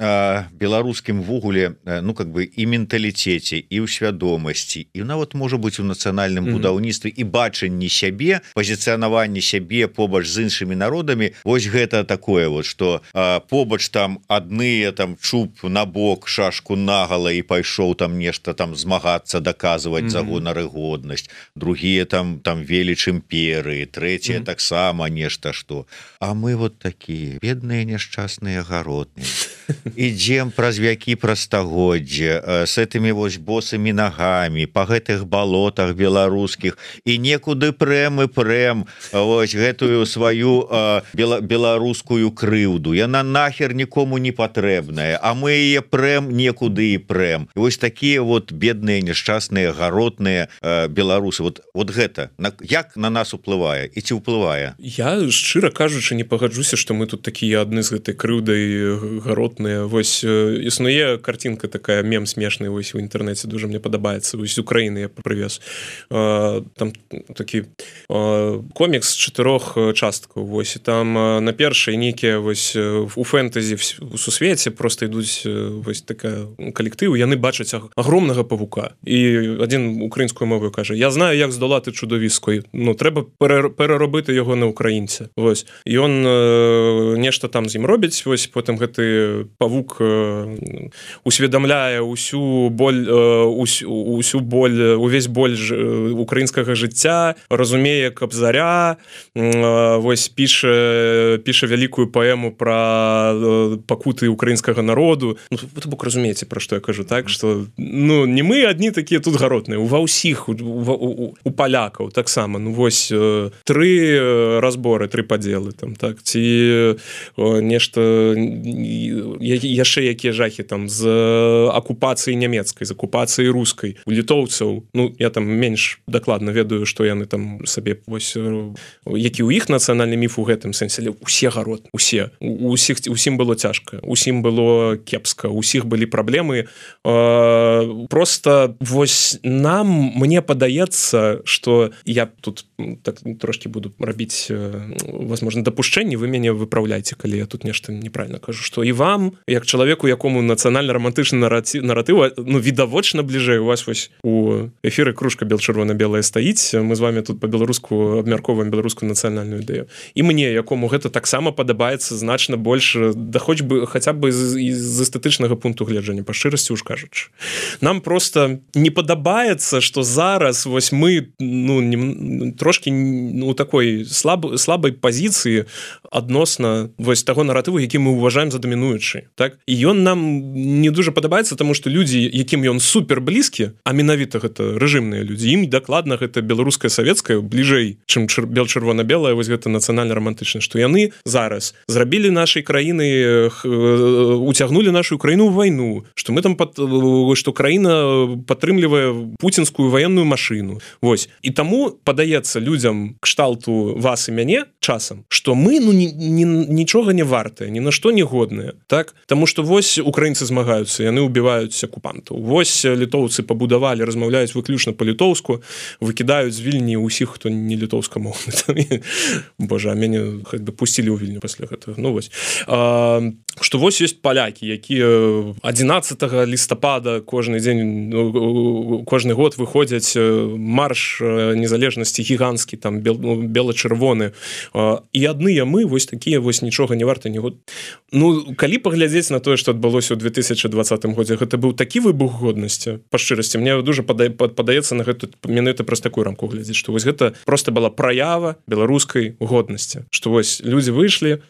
беларускім вугуле, і менталітэце, і ў свядомасці, і нават можа быць у нацыянальным будаўніцтве і бачанні сябе, пазіцыянаванні сябе побач з іншымі народамі, вось гэта такое вот, што побач там адныя там чуб на бок, шашку нагала і пайшоў там нешта там змагацца, даказваць за гонар і годнасць, другія там веліч імперыі, трэція таксама нешта што. А мы вот такія бедныя няшчасныя гаротныя. Ідзем праз вякі, праз стагоддзя с этымі вось босымі нагамі па гэтых балотах беларускіх, і некуды прэм вось гэтую сваю беларускую крыўду. Яна нахер нікому не патрэбная, а мы яе прэм некуды і прэм. І вось такія вот бедныя няшчасныя гаротныя беларусы. Вот гэта як на нас уплывае і ці ўплывае? Я шчыра кажучы не пагаджуся, што мы тут такія адны з гэтай крыўдай гаротныя. Вось існуе картинка такая, мем смешны вось у інтэрнэце, дуже мне падабаецца, вось з Украіны я прывез. Там такі комікс 4 часткаў, вось, і там на першай нейкія вось у фэнтэзі у сусвеце просто ідуць вось такая калектыў, яны бачаць агромнага павука, і адзін украінскую мову кажа: я знаю, як здолати чудовисько, трэба пераробити його на українця. Вось. І он нешта там з ім робіць, вось, потым гэты павук усведамляе усю боль, увесь боль украінскага жыцця, разумее Кабзаря, вось, піша вялікую паэму пра пакуты украінскага народу. Вы бок разумееце, пра што я кажу, так, што не мы адні такія тут гаротныя, ва ўсіх, у палякаў таксама, вось, 3 разборы, 3 падзелы там, так, ці нешта яшчэ якія жахі там з акупацыі нямецкай, з акупацыі рускай, у літоўцаў, я там менш дакладна ведаю, што яны там сабе, вось, які ў іх нацыянальны міф у гэтым сэнсе, але усе гаротны, усім было цяжка, усім было кепска, усіх былі праблемы, просто вось мне падаецца, што я тут так трошки буду рабіць, возможно, дапушчэнні, вы мяне выпраўляйце, калі я тут нешта неправильно кажу, што і вам, як чалавеку, якому нацыянальна-рамантычны наратыў, відавочна бліжэй у вас вось у эфіры кружка бел-чырвона-белая стаіць, мы з вами тут па-беларуску абмяркоўваем беларускую нацыянальную ідэю. І мне, якому гэта таксама падабаецца значна больш, да хоць бы хаця б з эстэтычнага пункту гледжання, па шчырасці уж кажучы. Нам просто не падабаецца, што зараз вось мы трошки у такой слабай пазіцыі адносна вось таго наратыву, які мы ўважаем за дамінуючы, так? І ён нам не дуже падабаецца, таму што людзі, якім ён супер блізкі, а менавіта гэта рэжымныя людзі, ім дакладна гэта беларуская савецкая бліжэй, чым бел-чырвона-белая, вось гэта нацыянальна-рамантычна, што яны зараз зрабілі нашай краіны уцягнули нашу краіну ў вайну, што мы там што краіна падтрымлівае пуцінскую ваенную машыну. Вось. І таму падаецца людзям кшталту вас і мяне часам, што мы нічога не вартыя, ні на што не годныя. Так? Таму што вось украінцы змагаюцца, яны ўбіваюць акупантаў. Вось літоўцы пабудавалі, размаўляюць выключна па-літоўску, выкідаюць з Вільні ўсіх, хто не літоўскамоўны. Божа, а мяне хоць бы пусцілі ў Вільню пасля гэтага. Ну вось. Што вось ёсць палякі, якія 11 лістапада кожны дзень, кожны год выходзяць марш незалежнасці гіганцкі, там бела-чырвоны. І адныя мы вось такія вось нічога не варта не год. Ну, калі паглядзець на тое, што адбылося ў 2020 годзе, гэта быў такі выбух годнасці, па шчырасці, мне дуже падаецца на гэта менавіта праз такую рамку глядзець, што вось гэта проста была праява беларускай годнасці, што вось людзі выйшлі,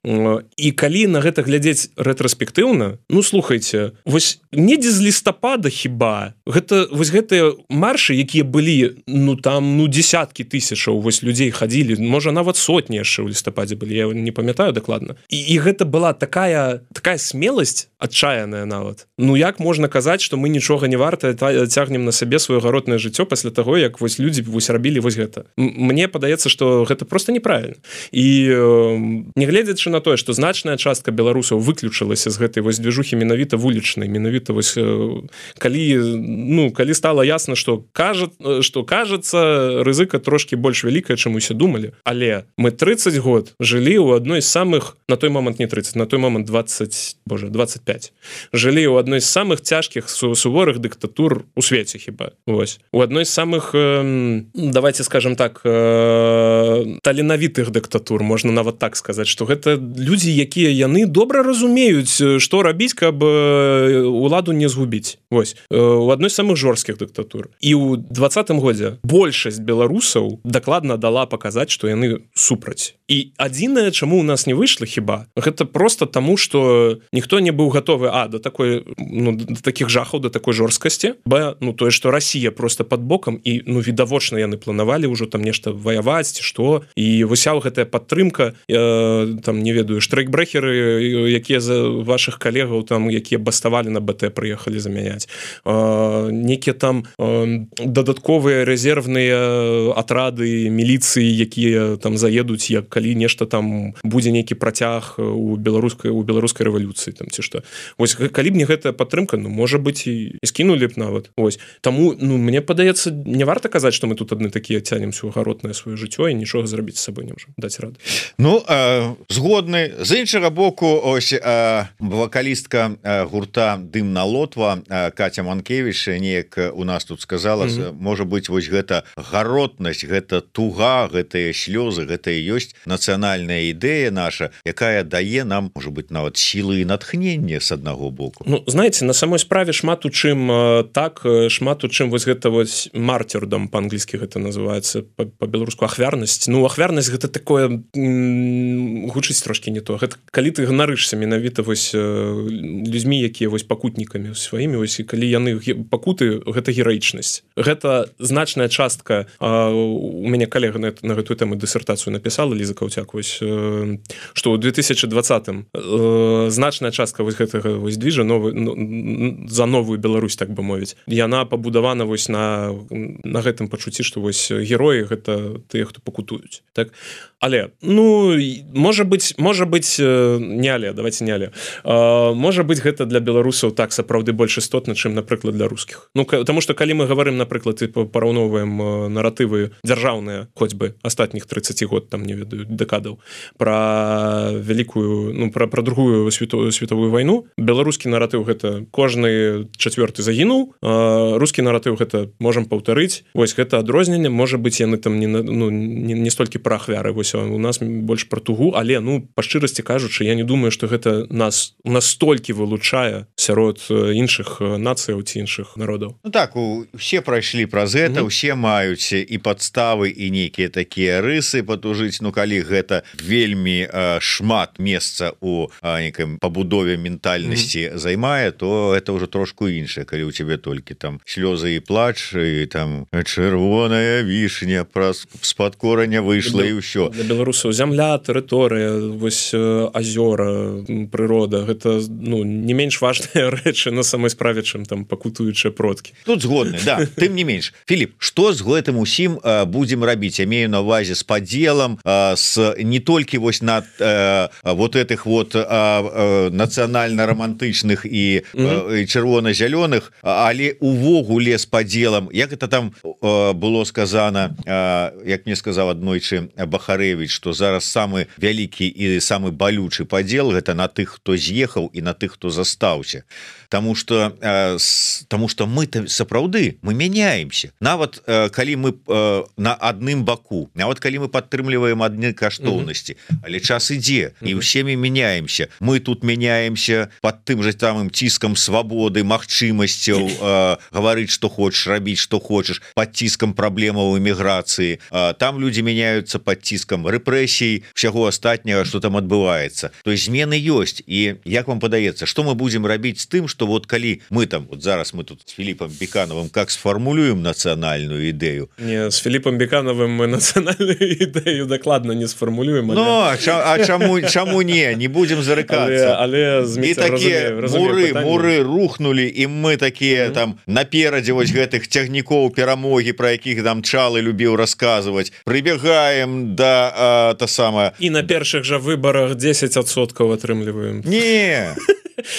і калі на гэта глядзець рэтраспектыўна, ну слухайце, вось недзе з лістапада хіба гэта вось гэтыя маршы, якія былі, ну там десяткі тысячаў вось людзей хадзілі, можа нават сотні яшчэ ў лістападзе былі, я не памятаю дакладна, і гэта была такая смеласць адчаяная нават. Ну як можна казаць, што мы нічога не варта, цягнем на сабе сваё гаротнае жыццё пасля таго, як вось людзі вось рабілі вось гэта. Мне падаецца, што гэта просто неправільна. І нягледзячы на тое, што значная частка беларусаў выключылася з гэтай вось движухі менавіта вулічнай, менавіта вось калі стала ясна, што кажацца, рызыка трошки больш вялікая, чым усе думалі. Але мы 30 год жылі ў адной з самых, на той момант не 30, на той момант 25, жылі ў адной з самых цяжкіх суворых дыктатур у свеце хіба. Вось. У адной з самых, давайте скажем так, таленавітых дыктатур, можна нават так сказаць, што гэта людзі, якія яны добра разумеюць, што рабіць, каб уладу не згубіць. Вось. У адной з самых жорсткіх дыктатур. І ў 20-м годзе большасць беларусаў дакладна дала паказаць, што яны супраць. І адзінае, чаму ў нас не выйшла хіба, гэта просто таму, што ніхто не быў гатовы да такіх жахаў, да такой жорсткасці, тое, што Расія просто пад бокам, і відавочна яны планавалі ўжо там нешта ваяваць, ці што, і высяў гэтая падтрымка, там, не ведаю, штрайкбрэхеры, якія за вашых калегаў, там, якія баставалі на БТ, прыехалі замяняць, некія там дадатковыя рэзервныя атрады міліцыі, якія там заедуць, як калі нешта там будзе нейкі працяг у беларускай рэвалюцыі, там, ці што. Вось, калі б не гэтая падтрымка, можа быць, і скінулі б нават. Вось. Таму, мне падаецца, не варта казаць, што мы тут адны такія цянемся ў гаротнае сваё жыццё і нічога зрабіць з сабой не можам даць рады. Згодны. З іншага боку, ось вакалістка гурта «Дымна Лотва» Катя Манкевіч неяк у нас тут сказала, можа быць, вось гэта гаротнасць, гэта туга, гэтыя слёзы, гэта і ёсць нацыянальная ідэя наша, якая дае нам, можа быць, нават сілы і натхнення з аднаго боку. Знаеце, на самой справе шмат у чым вось гэта вось мартирдом, па-англійскі гэта называецца, па-беларуску ахвярнасць. Ахвярнасць гэта такое, гучыць трошки не то. Гэта калі ты ганарышся менавіта вось людзьмі, якія вось пакутнікамі сваімі, вось, калі яны пакуты, гэта гераічнасць. Гэта значная частка, у мяне калега на гэтую тэму дысертацыю напісала, Ліза Каўцяк, вось, што ў 2020-м значная частка вось гэтага вось движа за новую Беларусь, так бы мовіць, яна пабудавана вось на гэтым пачуцці, што вось героі гэта тыя, хто пакутуюць. Так? Але, можа быць, не але, давайте не але. Можа быць, гэта для беларусаў так сапраўды больш істотна, чым, напрыклад, для рускіх. Таму што калі мы гаварым, напрыклад, і параўноўваем наратывы дзяржаўныя, хоць бы астатніх 30 год, там, не ведаю, дэкадаў, пра вялікую, пра другую световую вайну, беларускі наратыў гэта кожны чацвёрты загінуў, рускі наратыў гэта можам паўтарыць. Вось гэта адрозненне, можа быць, яны там не столькі пра ахвяры, вось у нас больш пра тугу, але, па шчырасці кажучы, я не думаю, што гэта нас столькі вылучае сярод іншых нацыяў ці іншых народаў. Так, усе прайшлі праз гэта, усе маюць і падставы, і нейкія такія рысы патужыць, калі гэта вельмі шмат месца у некай пабудове ментальнасці займае, то это ўжо трошку іншае, калі у цябе толькі там слёзы і плач, і там чырвоная вішня з-пад кораня выйшла, і ўсё. Для беларусаў зямля, тэрыторыя, вось азёра, чым прырода. Гэта не менш важныя рэчы на самой справе, чым там пакутуючыя продкі. Тут згодны, да. Тым не менш. Філіп, што з гэтым усім будзем рабіць? Я мею на увазе з падзелам, не толькі вось на вот этих вот нацыянальна-романтычных і чырвона-зялёных, але увогуле з падзелам, як это там было сказано, як мне сказаў аднойчы Бахарэвіч, што зараз самы вялікі і самы балючы падзел гэта на тых, хто з'ехаў і на тых, хто застаўся. Таму што мы сапраўды мы мяняемся. Нават калі мы на адным баку, нават калі мы падтрымліваем адны каштоўнасці, але час ідзе і ўсе мы мяняемся. Мы тут мяняемся под тым же самым ціскам свабоды, магчымасцяў гаварыць, што хочаш, рабіць, што хочаш, под ціскам праблемаў эміграцыі. Там людзі мяняюцца под ціскам рэпрэсій, усяго астатняга, што там адбываецца. То есть змены ёсць. І як вам падаецца, што мы будзем рабіць з тым, што вот калі мы там, вот зараз мы тут с Філіпам Бекановым как сфармулюем нацыянальную ідэю? Не, с Філіпам Бекановым мы нацыянальную ідэю дакладна не сфармулюем. Ну, чаму не будзем зарыкацца? Але і такія муры рухнули, і мы такія там наперадзе вось гэтых цягнікоў перамогі, про якіх там Чалы любіў расказваць, прыбегаем да і на першых жа выбарах 10% атрымліваем. Не.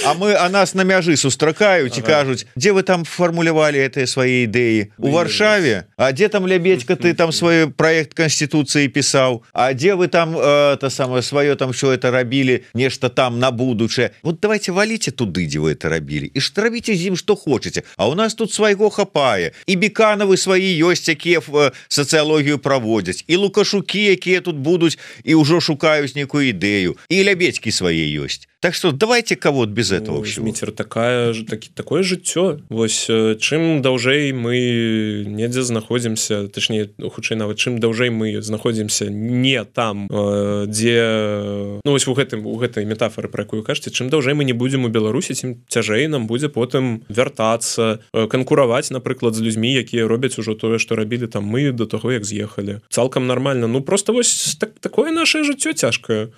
А нас на мяжы сустракаюць і кажуць, дзе вы там фармулявалі гэтыя свае ідэі? У Варшаве? А дзе там Лябедзька ты там свой праект канституцыі пісаў? А дзе вы там сваё там що это рабілі, нешта там на будучае? Вот давайте валіце туды, дзе вы это рабілі, і ж рабіце з ім што хочаце. А у нас тут свайго хапае. І Бекановы свае ёсць, якія сацыялогію праводзяць, і Лукашукі, якія тут будуць і ўжо шукаюць нейкую ідэю, і Лябедзькі свае ёсць. Так что давайте кого без этого всего. Міцер, такое жыццё. Вось чым даўжэй мы недзе знаходзімся, точнее, хутчэй нават чым даўжэй мы знаходзімся не там, дзе вось у гэтай метафоры, про якую кажаце, чым даўжэй мы не будзем у Беларусі, тым цяжэй нам будзе потым вяртацца, канкураваць, напрыклад, з людзьмі, якія робяць ужо тое, што рабілі там мы до таго, як з'ехалі. Цалкам нармальна. Просто вось такое наше жыццё цяжкае.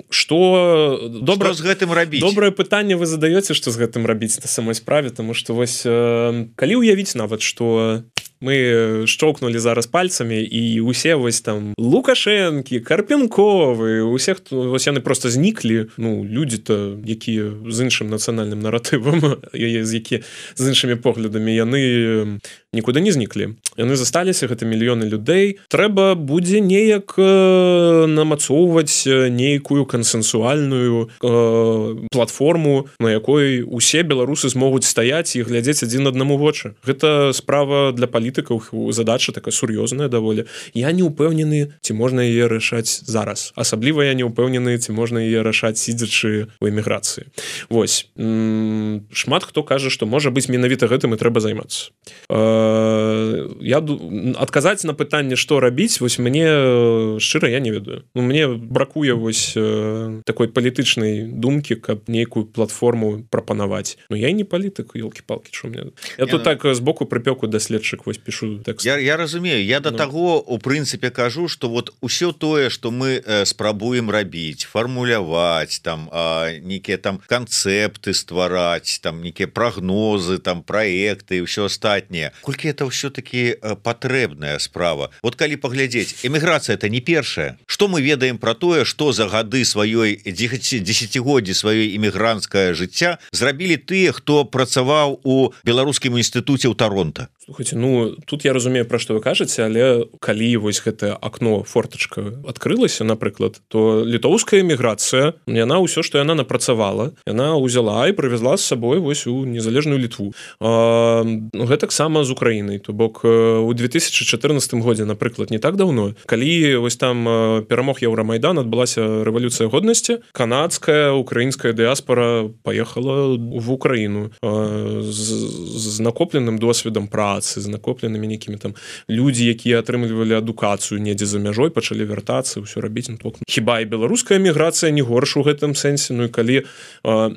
Што з гэтым рабіць? Добрае пытанне вы задаёце, што з гэтым рабіць на самой справе, тому што вось калі ўявіць нават, што мы шчоўкнулі зараз пальцамі і усе вось там Лукашэнкі, Карпенковы, усе вось яны просто зніклі, людзі-то, якія з іншым нацыянальным наратывам, які з іншымі поглядамі, яны нікуды не зніклі. Яны засталіся, гэта мільёны людзей. Трэба будзе неяк намацоўваць нейкую кансенсуальную платформу, на якой усе беларусы змогуць стаяць і глядзець адзін аднаму вочы. Гэта справа для палітыкаў, задача такая сур'ёзная даволі. Я не ўпэўнены, ці можна яе рашаць зараз. Асабліва я не ўпэўнены, ці можна яе рашаць сидзячы ў эміграцыі. Вось. Шмат хто кажа, што можа быць менавіта гэтым і трэба займацца. Адказаць на пытанне, што рабіць, вось мне шчыра я не ведаю. Мне бракуе вось такой палітычнай думкі, каб нейкую платформу прапанаваць. Я не палітык, ёлкі-палкі, што мне. Я тут так збоку прыпёку даследчык вось пишу тэкст. Я разумею, я до таго у прынцыпе кажу, што вот усё тое, што мы спрабуем рабіць, фармуляваць, там нейкія там канцэпты ствараць, там нейкія прагнозы, там праекты і ўсё астатняе. Колькі это ўсё-таки патрэбная справа. Вот калі паглядзець, эміграцыя это не першая. Што мы ведаем про тое, што за гады сваёй дзесяцігоддзі сваёй эмігранцкае жыцця зрабілі тыя, хто працаваў у Беларускім інстытуце ў Таронта? Слухайте, тут я разумею, пра што вы кажаце, але калі вось гэтае акно, фортачка адкрылася, напрыклад, то літоўская эміграцыя, яна ўсё, што яна напрацавала, яна ўзяла і прывезла з сабой вось у незалежную Літву. Гэтаксама з Украінай, то бок у 2014 годзе, напрыклад, не так даўно, калі вось там перамог Еўрамайдан, адбылася рэвалюцыя годнасці, канадская, украінская дыаспара паехала в Украіну з накопленым досведам працы, з накопленымі нейкімі там людзі, якія атрымлівалі адукацыю недзе за мяжой, пачалі вяртацца, ўсё рабіць. Хіба і беларуская эміграцыя не горш у гэтым сэнсе? І калі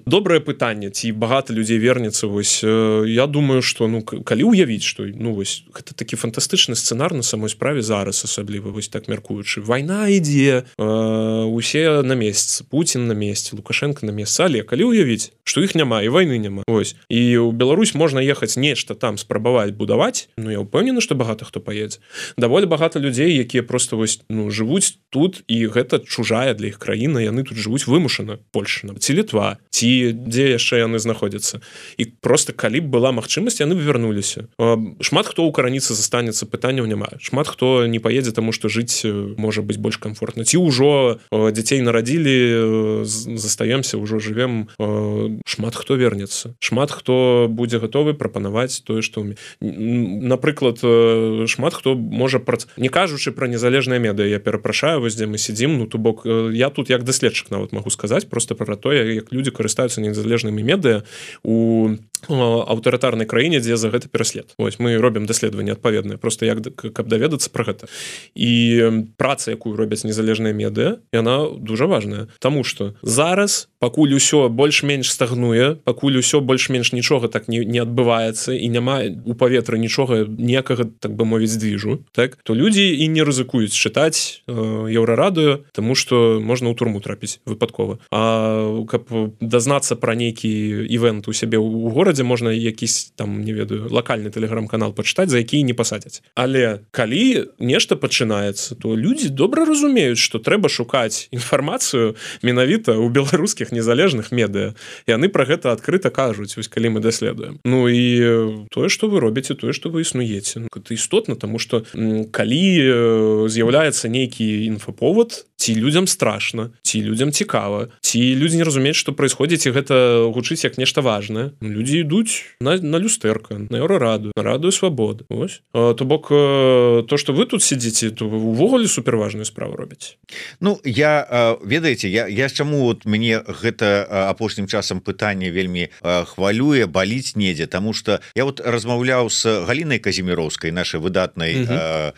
добрае пытанне, ці багата людзей вернецца, вось я думаю, што калі ўявіць, што ну вось гэта такі фантастычны сцэнар на самой справе зараз, асабліва вось так мяркуючы. Вайна ідзе, усе на месцы, Пуцін на месцы, Лукашенко на месцы, але калі ўявіць, што іх няма і вайны няма. Вось. І ў Беларусь можна ехаць нешта там спрабаваць будаваць. Ну я ўпэўнены, што багата хто паедзе. Даволі багата людзей, якія просто вось ну жывуць тут і гэта чужая для іх краіна, яны тут жывуць вымушана, Польша, ці Літва, ці дзе яшчэ яны знаходзяцца. І просто калі б была магчымасць, яны б вярнуліся. Шмат хто ўкараніцца застанецца, пытанняў няма. Шмат хто не паедзе, таму што жыць можа быць больш комфортна. Ці ўжо дзяцей нарадзілі, застаемся, ўжо жывем, шмат хто вернецца. Шмат хто будзе гатовы прапанаваць тое, што напрыклад, шмат хто можа не кажучы пра незалежныя медыа, я перапрашаю, вось дзе мы сядзім, ну то бок я тут як даследчык нават магу сказаць просто пра тое, як людзі карыстаюцца незалежнымі медыа у аўтарытарнай краіне, дзе за гэта пераслед. Вось мы робім даследаванне адпаведнае, просто як каб даведацца пра гэта. І праца, якую робяць незалежныя медыа, яна дужа важная, таму што зараз пакуль усё больш-менш стагнуе, пакуль усё больш-менш нічога так не адбываецца і няма у паветры нічога ніякага, так бы мовіць, движу, так, то людзі і не рызыкуюць чытаць Еўрарадыё, таму што можна ў турму трапіць выпадкова. А каб дазнацца пра нейкі івент у сябе ў горадзе, можна якісь там, не ведаю, лакальны тэлеграм-канал пачытаць, за які не пасадзяць. Але калі нешта пачынаецца, то людзі добра разумеюць, што трэба шукаць інфармацыю менавіта ў беларускіх незалежных медыа. Яны пра гэта адкрыта кажуць, вось калі мы даследуем. Ну і тое, што вы робіце, тое, што вы існуеце. Гэта істотна, таму што калі з'яўляецца нейкі інфаповад, ці людзям страшна, ці людзям цікава, ці людзі не разумеюць, што праисходзіць, і гэта гучыць як нешта важнае. Людзі ідуць на люстэрка, на Еўрараду, на Радыё Свабоды. Вось. То бок, то, што вы тут сидзіце, то вы увогуле суперважную справу робіце. Ну, ведаеце, я чаму вот мне гэта апошнім часам пытанне вельмі хвалюе, баліць недзе, таму што я вот размаўляў з Галінай Казіміроўскай, нашай выдатнай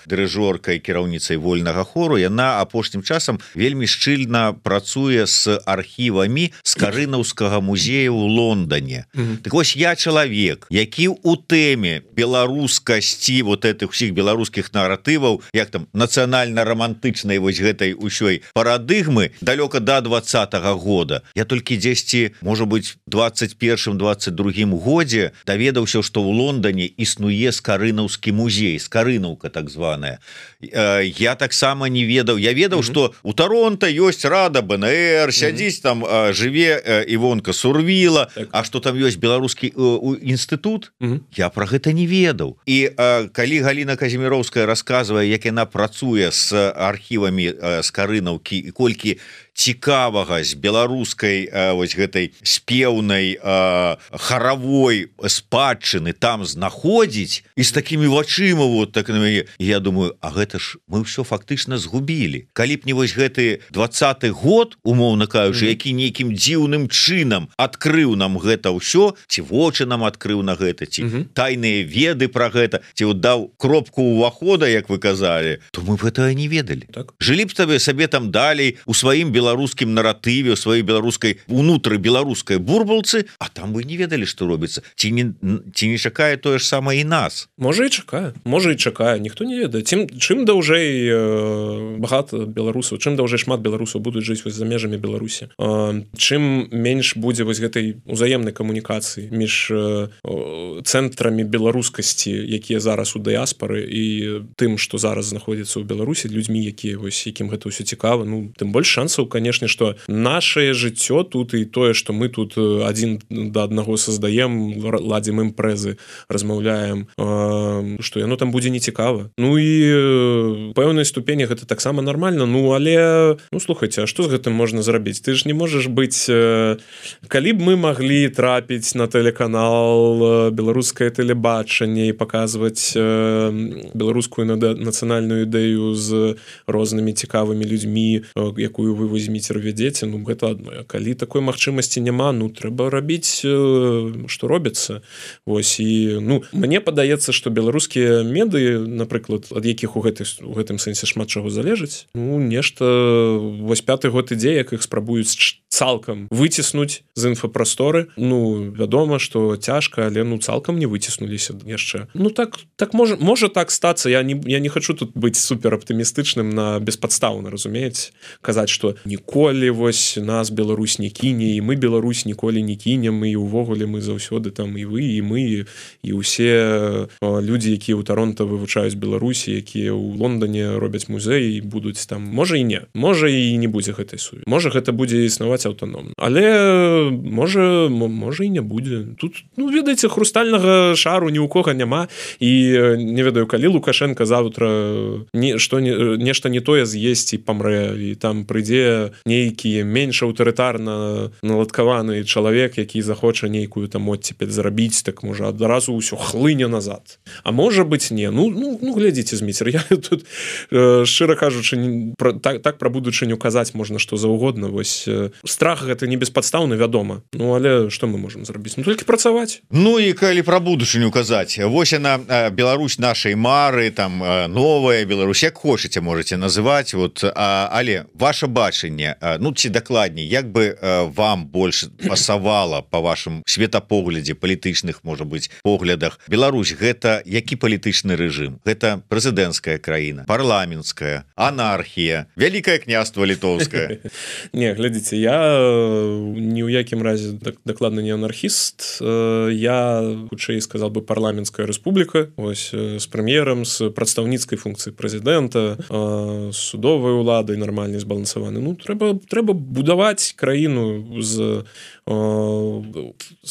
дырыжоркай, кіраўніцай вольнага хору. Яна апошнім часам вельмі шчыльна працуе з архівамі Скарынаўскага музея ў Лондоне. Так вось я чалавек, які ў тэме беларускасці вот этих усіх беларускіх наратываў, як там нацыянальна-рамантычнай вось гэтай усёй парадыгмы далёка да 20-го года. Я толькі дзесьці, можа быць, 21-22 годзе даведаўся, што ў Лондоне існуе Скарынаўскі музей, Скарынаўка так званая. Я таксама не ведаў. Я ведаў, што у Торонто ёсць Рада БНР, сядзіць там, жыве Івонка Сурвіла, а што там ёсць беларускі інстытут, я пра гэта не ведаў. І калі Галіна Казіміроўская расказвае, як яна працуе з архівамі Скарынаўкі і колькі цікавага з беларускай вось гэтай спеўнай харавой спадчыны там знаходзіць і з такімі вачыма вот так на мяне, я думаю, а гэта ж мы ўсё фактычна згубілі. Калі б не вось гэты 20-й год, умоўна кажучы, які нейкім дзіўным чынам адкрыў нам гэта ўсё, ці вочы нам адкрыў на гэта, ці тайныя веды пра гэта, ці вот даў кропку ўвахода, як вы казалі, то мы б гэтага не ведалі. Так. Жылі б сабе там далей у сваім беларускім наратыве, у сваёй беларускай, унутры беларускай бурбалцы, а там вы не ведалі, што робіцца. Ці не чакае тое ж самае і нас? Можа і чакае, ніхто не ведае. Чым даўжэй багата беларусаў, чым даўжэй шмат беларусаў будуць жыць вось за межамі Беларусі, чым менш будзе вось гэтай узаемнай камунікацыі між цэнтрамі беларускасці, якія зараз у дыяспары, і тым, што зараз знаходзіцца ў Беларусі, людзьмі, якім гэта ўсё цікава, ну, тым больш шансаў, канешне, што нашае жыццё тут і тое, што мы тут адзін да аднаго создаем, ладзім імпрэзы, размаўляем, што яно там будзе нецікава. Ну і пэўнай ступені гэта таксама нармальна, ну але, ну слухайце, а што з гэтым можна зрабіць? Ты ж не можаш быць, калі б мы маглі трапіць на тэлеканал, беларускае тэлебачанне і паказваць беларускую нацыянальную ідэю з рознымі цікавымі людзьмі, якую вы возьміце, вядзеце, ну гэта адно. Калі такой магчымасці няма, ну трэба рабіць, што робіцца. Вось, і, ну, мне падаецца, што беларускія медыі, напрыклад, ад якіх у гэтым сэнсе шмат чаго залежыць, ну, нешта, вось 5-й год ідзе, як іх спрабуюць цалкам выціснуць з інфапрасторы. Ну, вядома, што цяжка, але ну цалкам не выціснуліся яшчэ. Ну так можа так стацца. Я не хачу тут быць супераптымістычным на беспадстаўна, разумееце, казаць, што ніколі вось нас Беларусь не кіне, і мы Беларусь ніколі не кінем, і ўвогуле мы заўсёды там і вы, і мы, і ўсе людзі, якія ў Таронта вывучаюць Беларусі, якія ў Лондоне робяць музей і будуць там. Можа і не. Можа і не будзе гэтай сувязі. Можа гэта будзе існаваць аўтаномна. Але можа і не будзе. Тут, ну, ведаеце, хрустальнага шару ні ў кога няма, і не ведаю, калі Лукашенко заўтра нешта не тое з'есць і памрэ, і там прыйдзе нейкі менш аўтарытарна наладкаваны чалавек, які захоча нейкую там оттепель зрабіць, так можа адразу ўсё хлыне назад. А можа быць не. Ну глядзіце, Зміцер, я тут шчыра кажучы, так пра будучыню казаць можна што заўгодна. Вось страх гэта не беспадстаўны, вядома. Ну але што мы можам зрабіць? Ну толькі працаваць. Ну і калі пра будучыню казаць, вось яна, Беларусь нашай мары, там новая Беларусь, як хочаце можаце называць, вот, але ваше бачанне, ну ці дакладней, як бы вам больш пасавала па вашым светапоглядзе, палітычных, можа быць, поглядах, Беларусь гэта які палітычны рэжым? Гэта прэзідэнцкая краіна, парламенцкая, анархія, вялікае княства літоўскае? Не, глядзіце, я ні ў якім разе дакладна не анархіст, я хутчэй сказал бы парламенцкая рэспубліка, ось з прэм'ерам, з прадстаўніцкай функцыі прэзідэнта, з судовай уладай нармальна збалансаваны. Ну трэба будаваць краіну з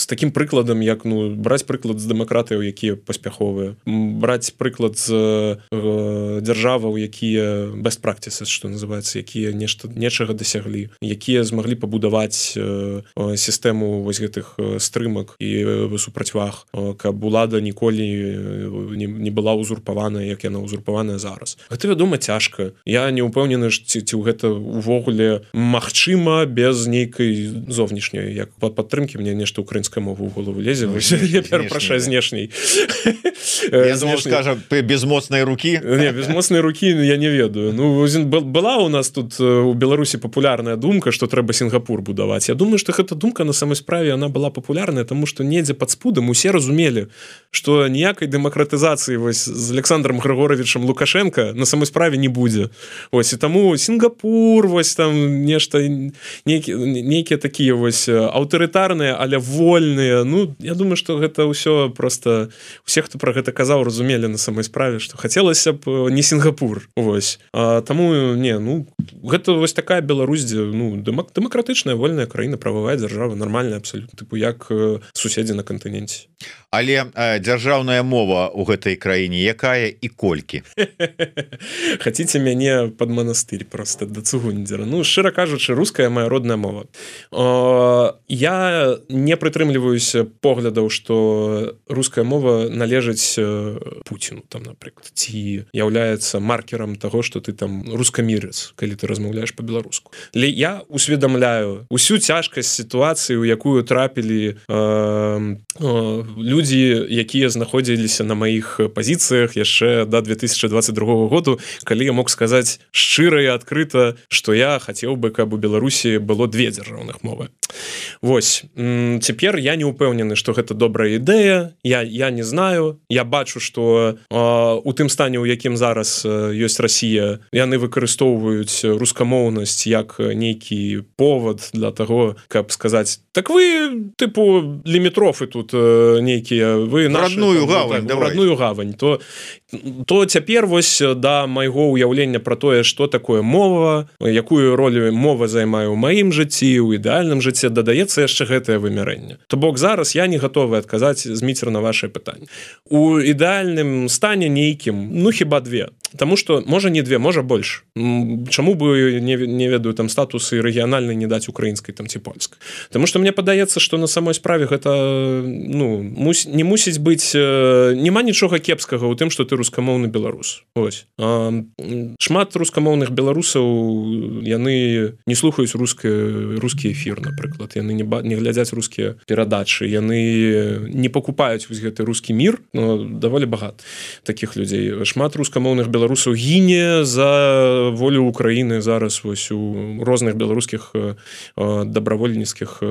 такім прыкладам, як, ну, браць прыклад з дэмакратыяў, якія паспяховыя, браць прыклад з дзяржаваў, якія best practices, што называецца, якія нечага дасяглі, якія змаглі пабудаваць сістэму вось гэтых стрымак і супрацьваг, каб улада ніколі не была узурпаваная, як яна узурпаваная зараз. Гэта, вядома, цяжка. Я не ўпэўнены, ці гэта увогуле магчыма без нейкай зовнішняй, як падтрымкі. Мне нешта украінская мова ў голову лезе. Я перапрашаю, знешняй. Я думаю, скажа, без моцнай рукі? Не, без моцнай рукі я не ведаю. Ну, была у нас тут у Беларусі папулярная думка, што трэба Сінгапур будаваць. Я думаю, што гэта думка на самой справе, она была папулярная, таму што недзе пад спудам усе разумелі, што ніякай дэмакратызацыі вось з Александром Григоровичем Лукашенко на самой справе не будзе. Ось, і таму Сінгапур, вось там нешта, нейкія такія вось аўтарытарныя, але вольныя. Ну, я думаю, што гэта ўсё просто усе, хто пра гэта казаў, разумелі на самой справе, што хацелася б не Сінгапур. Вось. Таму, не, ну, гэта вось такая Беларусь, дзе, ну, дэмакратычная, вольная краіна, прававая дзяржава, нармальная абсалютна, тыпу як суседзі на кантыненце. Але дзяржаўная мова ў гэтай краіне якая і колькі? Хаціце мяне пад манастырь просто да цугундзера. Ну, шчыра кажучы, руская моя родная мова. Я не прытрымліваюся поглядаў, што руская мова належыць Пуціну, там, напрыклад, ці яўляецца маркерам таго, што ты там рускамірец, калі ты размаўляеш па-беларуску. Але я усведамляю усю цяжкасць сітуацыі, у якую трапілі людзі, якія знаходзіліся на маіх пазіцыях яшчэ да 2022 году, калі я мог сказаць шчыра і адкрыта, што я хацеў бы, каб у Беларусі было две дзяржаўных мовы. Вось. Цяпер я не ўпэўнены, што гэта добрая ідэя. Я не знаю. Я бачу, што у тым стане, у якім зараз ёсць Расія, яны выкарыстоўваюць рускамоўнасць як нейкі повод для таго, каб сказаць, так вы, тыпу, лімітрофы тут нейкія, вы нашы... Родную гавань, давай. Родную гавань. То цяпер вось да майго ўяўлення пра тое, што такое мова, якую ролю мова займае ў маім жыцці, у ідэальным жыцці, дадаецца яшчэ гэтае вымярэнне. То бок зараз я не гатовы адказаць, Зміцер, на ваше пытанне. У ідэальным стане нейкім, ну хіба две. Таму што можа не две, можа больш. Чаму бы не ведаю там статусы рэгіянальнай не даць украінскай там ці польскай? Таму што мне падаецца, што на самой справе гэта, ну, не мусіць быць, няма нічога кепскага ў тым, што ты рускамоўны беларус. Ось. Шмат рускамоўных беларусаў, яны не слухаюць рускі эфір, напрыклад. Яны не глядзяць рускія перадачы, яны не пакупаюць вось гэты рускі мір, но даволі багат такіх людзей. Шмат рускамоўных беларусаў беларусаў гіне за волю Украіны зараз вось у розных беларускіх дабравольніцкіх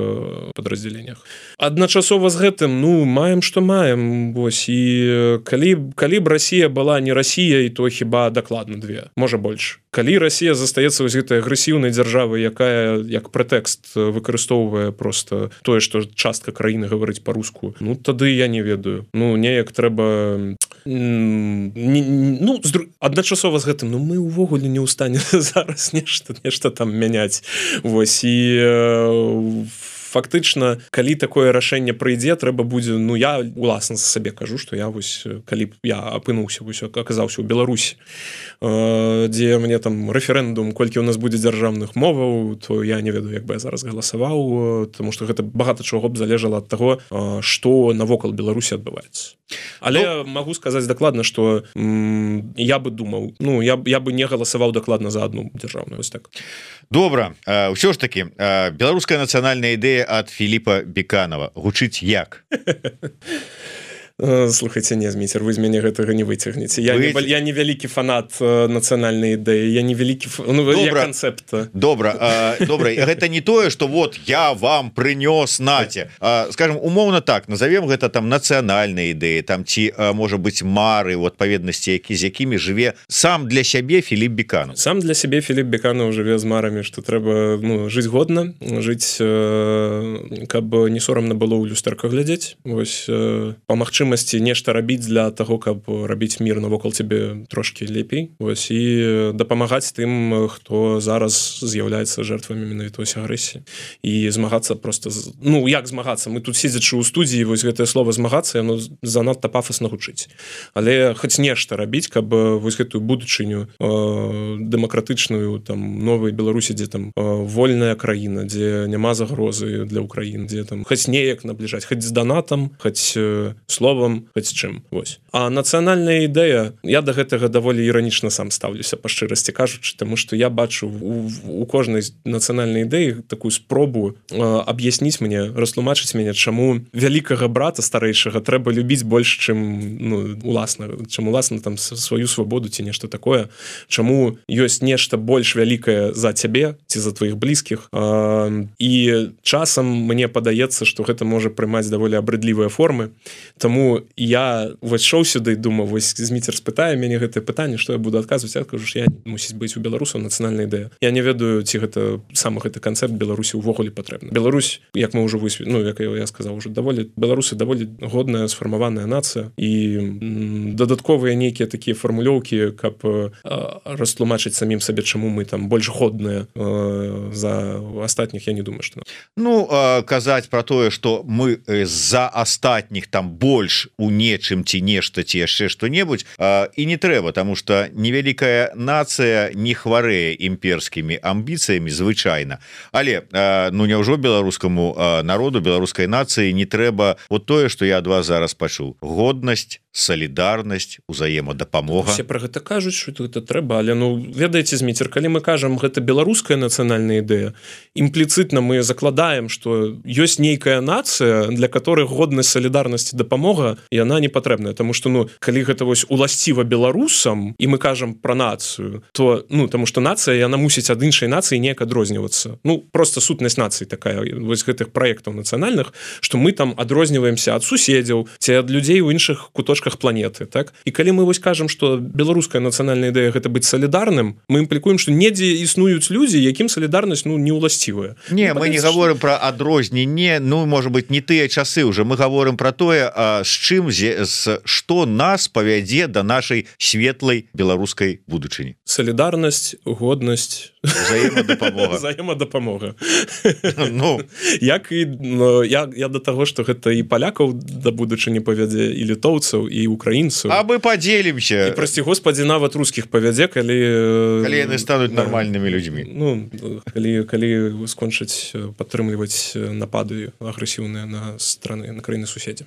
падраздзяленнях. Адначасова з гэтым, ну, маем, што маем, вось, і калі б Расія была не Расіяй, то хіба дакладна две, можа больш. Калі Расія застаецца вось гэтай агрэсіўнай дзяржавай, якая як прэтэкст выкарыстоўвае просто тое, што частка краіны гаворыць па-руску, ну, тады я не ведаю. Ну, неяк трэба... Ну, адначасова з гэтым, ну, мы ўвогуле не ў стане зараз нешта там мяняць. Вось, і... Фактычна, калі такое рашэнне прыйдзе, трэба будзе, ну, я уласна сабе кажу, што я вось, калі б я апынуўся, вось, аказаўся ў Беларусі, дзе мне там рэферэндум, колькі ў нас будзе дзяржаўных моваў, то я не ведаю, як бы я зараз галасаваў, тому што гэта багата чаго б залежала ад таго, што навокал Беларусі адбываецца. Але магу сказаць дакладна, што я бы думаў, ну, я бы не галасаваў дакладна за адну дзяржаўную, вось так. Добра, ўсё ж такі, беларуская нацыянальная ідэя ад Філіпа Беканова гучыць як? Слухайце, не, Зміцер, вы з мяне гэтага не выцягнеце. Я не вялікі фанат нацыянальнай ідэі, я не вялікі канцэпта. Добра, гэта не тое, што вот я вам прынёс наце. Скажем, умоўна так, назовем гэта там нацыянальнай ідэі, там ці, можа быць, мары у адпаведнасці, з якімі жыве сам для сябе Філіп Беканов. Сам для сябе Філіп Беканов жыве з марамі, што трэба, ну, жыць годна, жыць, каб не сорамна было ў люстэрка глядзець, вось, па магчымасці нешта рабіць для таго, каб рабіць мір навокал цябе трошкі лепей, вось, і дапамагаць тым, хто зараз з'яўляецца жертвамі менавіта агрэсіі, і змагацца просто, ну, як змагацца, мы тут сидзячы ў студіі, вось гэтае слово змагацца, яно занадта пафасна гучыць, але хоць нешта рабіць, каб вось гэтую будучыню дэмакратычную, там, новай Беларусі, дзе там вольная краіна, дзе няма загрозы для Украіны, дзе там хоць неяк набліжаць, хоць з донатам, хоць словам, хоць чым, вось. А нацыянальная ідэя, я да гэтага даволі іранічна сам стаўлюся, па шчырасці кажучы, таму што я бачу у кожнай нацыянальнай ідэі такую спробу аб'ясніць мне, растлумачыць мяне, чаму вялікага брата старэйшага трэба любіць больш, чым, ну, уласна, чым уласна там сваю свабоду ці нешта такое, чаму ёсць нешта больш вялікае за цябе ці за тваіх блізкіх, і часам мне падаецца, што гэта можа прымаць даволі абрыдлівыя формы, таму я вось шоў сюды і думаў, вось Зміцер спытае мяне гэтае пытанне, што я буду адказваць, я кажу, што я мусіць быць у беларусаў нацыянальная ідэя. Я не ведаю, ці гэта сам гэты канцэпт Беларусі ўвогуле патрэбны. Беларусь, як мы ўжо ну, як я сказаў, ужо беларусы даволі годная сфармаваная нацыя, і дадатковыя нейкія такія фармулёўкі, каб растлумачыць самім сабе, чаму мы там больш годныя за астатніх, я не думаю, што... Ну, казаць пра тое, што мы за астатніх там больш у нечым ці нешта ці яшчэ што-небудзь, і не трэба, таму што невялікая нацыя не хварэе імперскімі амбіцыямі звычайна. Але ну няўжо беларускаму народу, беларускай нацыі не трэба вот тое, што я ад вас зараз пачуў: годнасць, салідарнасць, узаемадапамога. Усе пра гэта кажуць, што гэта трэба, але, ну, ведаеце, Зміцер, калі мы кажам, гэта беларуская нацыянальная ідэя, імпліцытна мы закладаем, што ёсць нейкая нацыя, для которой годнасць, салідарнасць і дапамога, яна не патрэбная, таму што, ну, калі гэта вось уласціва беларусам, і мы кажам пра нацыю, то, ну, таму што нацыя, яна мусіць ад іншай нацыі неяк адрознівацца. Ну, просто сутнасць нацыі такая, вось гэтых праектаў нацыянальных, што мы там адрозніваемся ад суседзяў ці ад людзей у іншых куточках планеты, так? І калі мы вось кажам, што беларуская нацыянальная ідэя гэта быць салідарным, мы імплікуем, што недзе існуюць людзі, якім салідарнасць, ну, не ўласцівая. Не, мы не гаворым пра адрозненне, ну, можа быць, не тыя часы уже, мы гаворым пра тое, з чым, што нас павядзе да нашай светлай беларускай будучыні. Салідарнасць, годнасць, взаемадапамога. Ну, як і я да таго, што гэта і палякаў да будучыні павядзе, і літоўцаў, і украінцаў. А мы падзелімся. І, прасці Господі, нават рускіх павядзе, калі яны стануць нармальнымі людзьмі. Ну, калі скончаць падтрымліваць напады агрэсіўныя на страны, на краіны суседзі.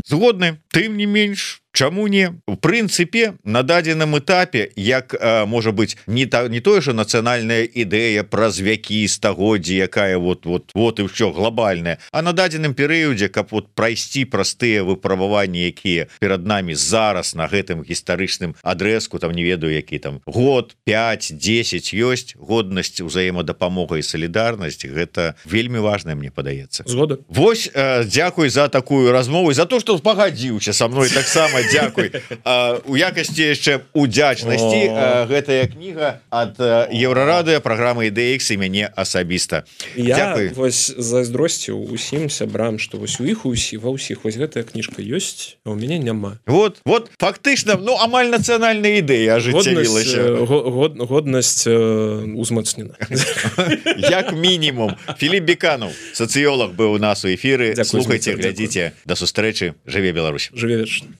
Згодны, тым не менш, Чаму не? В прынцыпе на дадзеным этапе як можа быть не тое же нацыянальная ідэя праз вякі стагоддзі, якая вот і ўсё глобальная, а на дадзеным перыядзе каб вот прайсці простыя выпрабаванні, якія перад нами зараз на гэтым гістарычным адрэзку, там не ведаю які там год 5-10 ёсць годнасць узаемадапамога і салідарнасць, гэта вельмі важная, мне падаецца. Згода. Вось дзякуй за такую размову, за то что пагадзіўся со мной, таксама дзякуй. У якасці яшчэ удзячнасці гэтая кніга ад Еўрарадыё, праграмы IDX і мяне асабіста. Дзякуй. Вось зайздросціў усім сябрам, што вось у іх ва ўсіх вось гэтая кніжка ёсць, а ў мяне няма. Вот фактычна, ну амаль нацыянальная ідэя ажыццявілася. Годнасць узмацнена. Як мінімум. Філіп Беканаў, сацыёлог, быў у нас у эфіры. Слухайце, глядзіце. Да сустрэчы. Жыве Беларусь. Жыве вечна.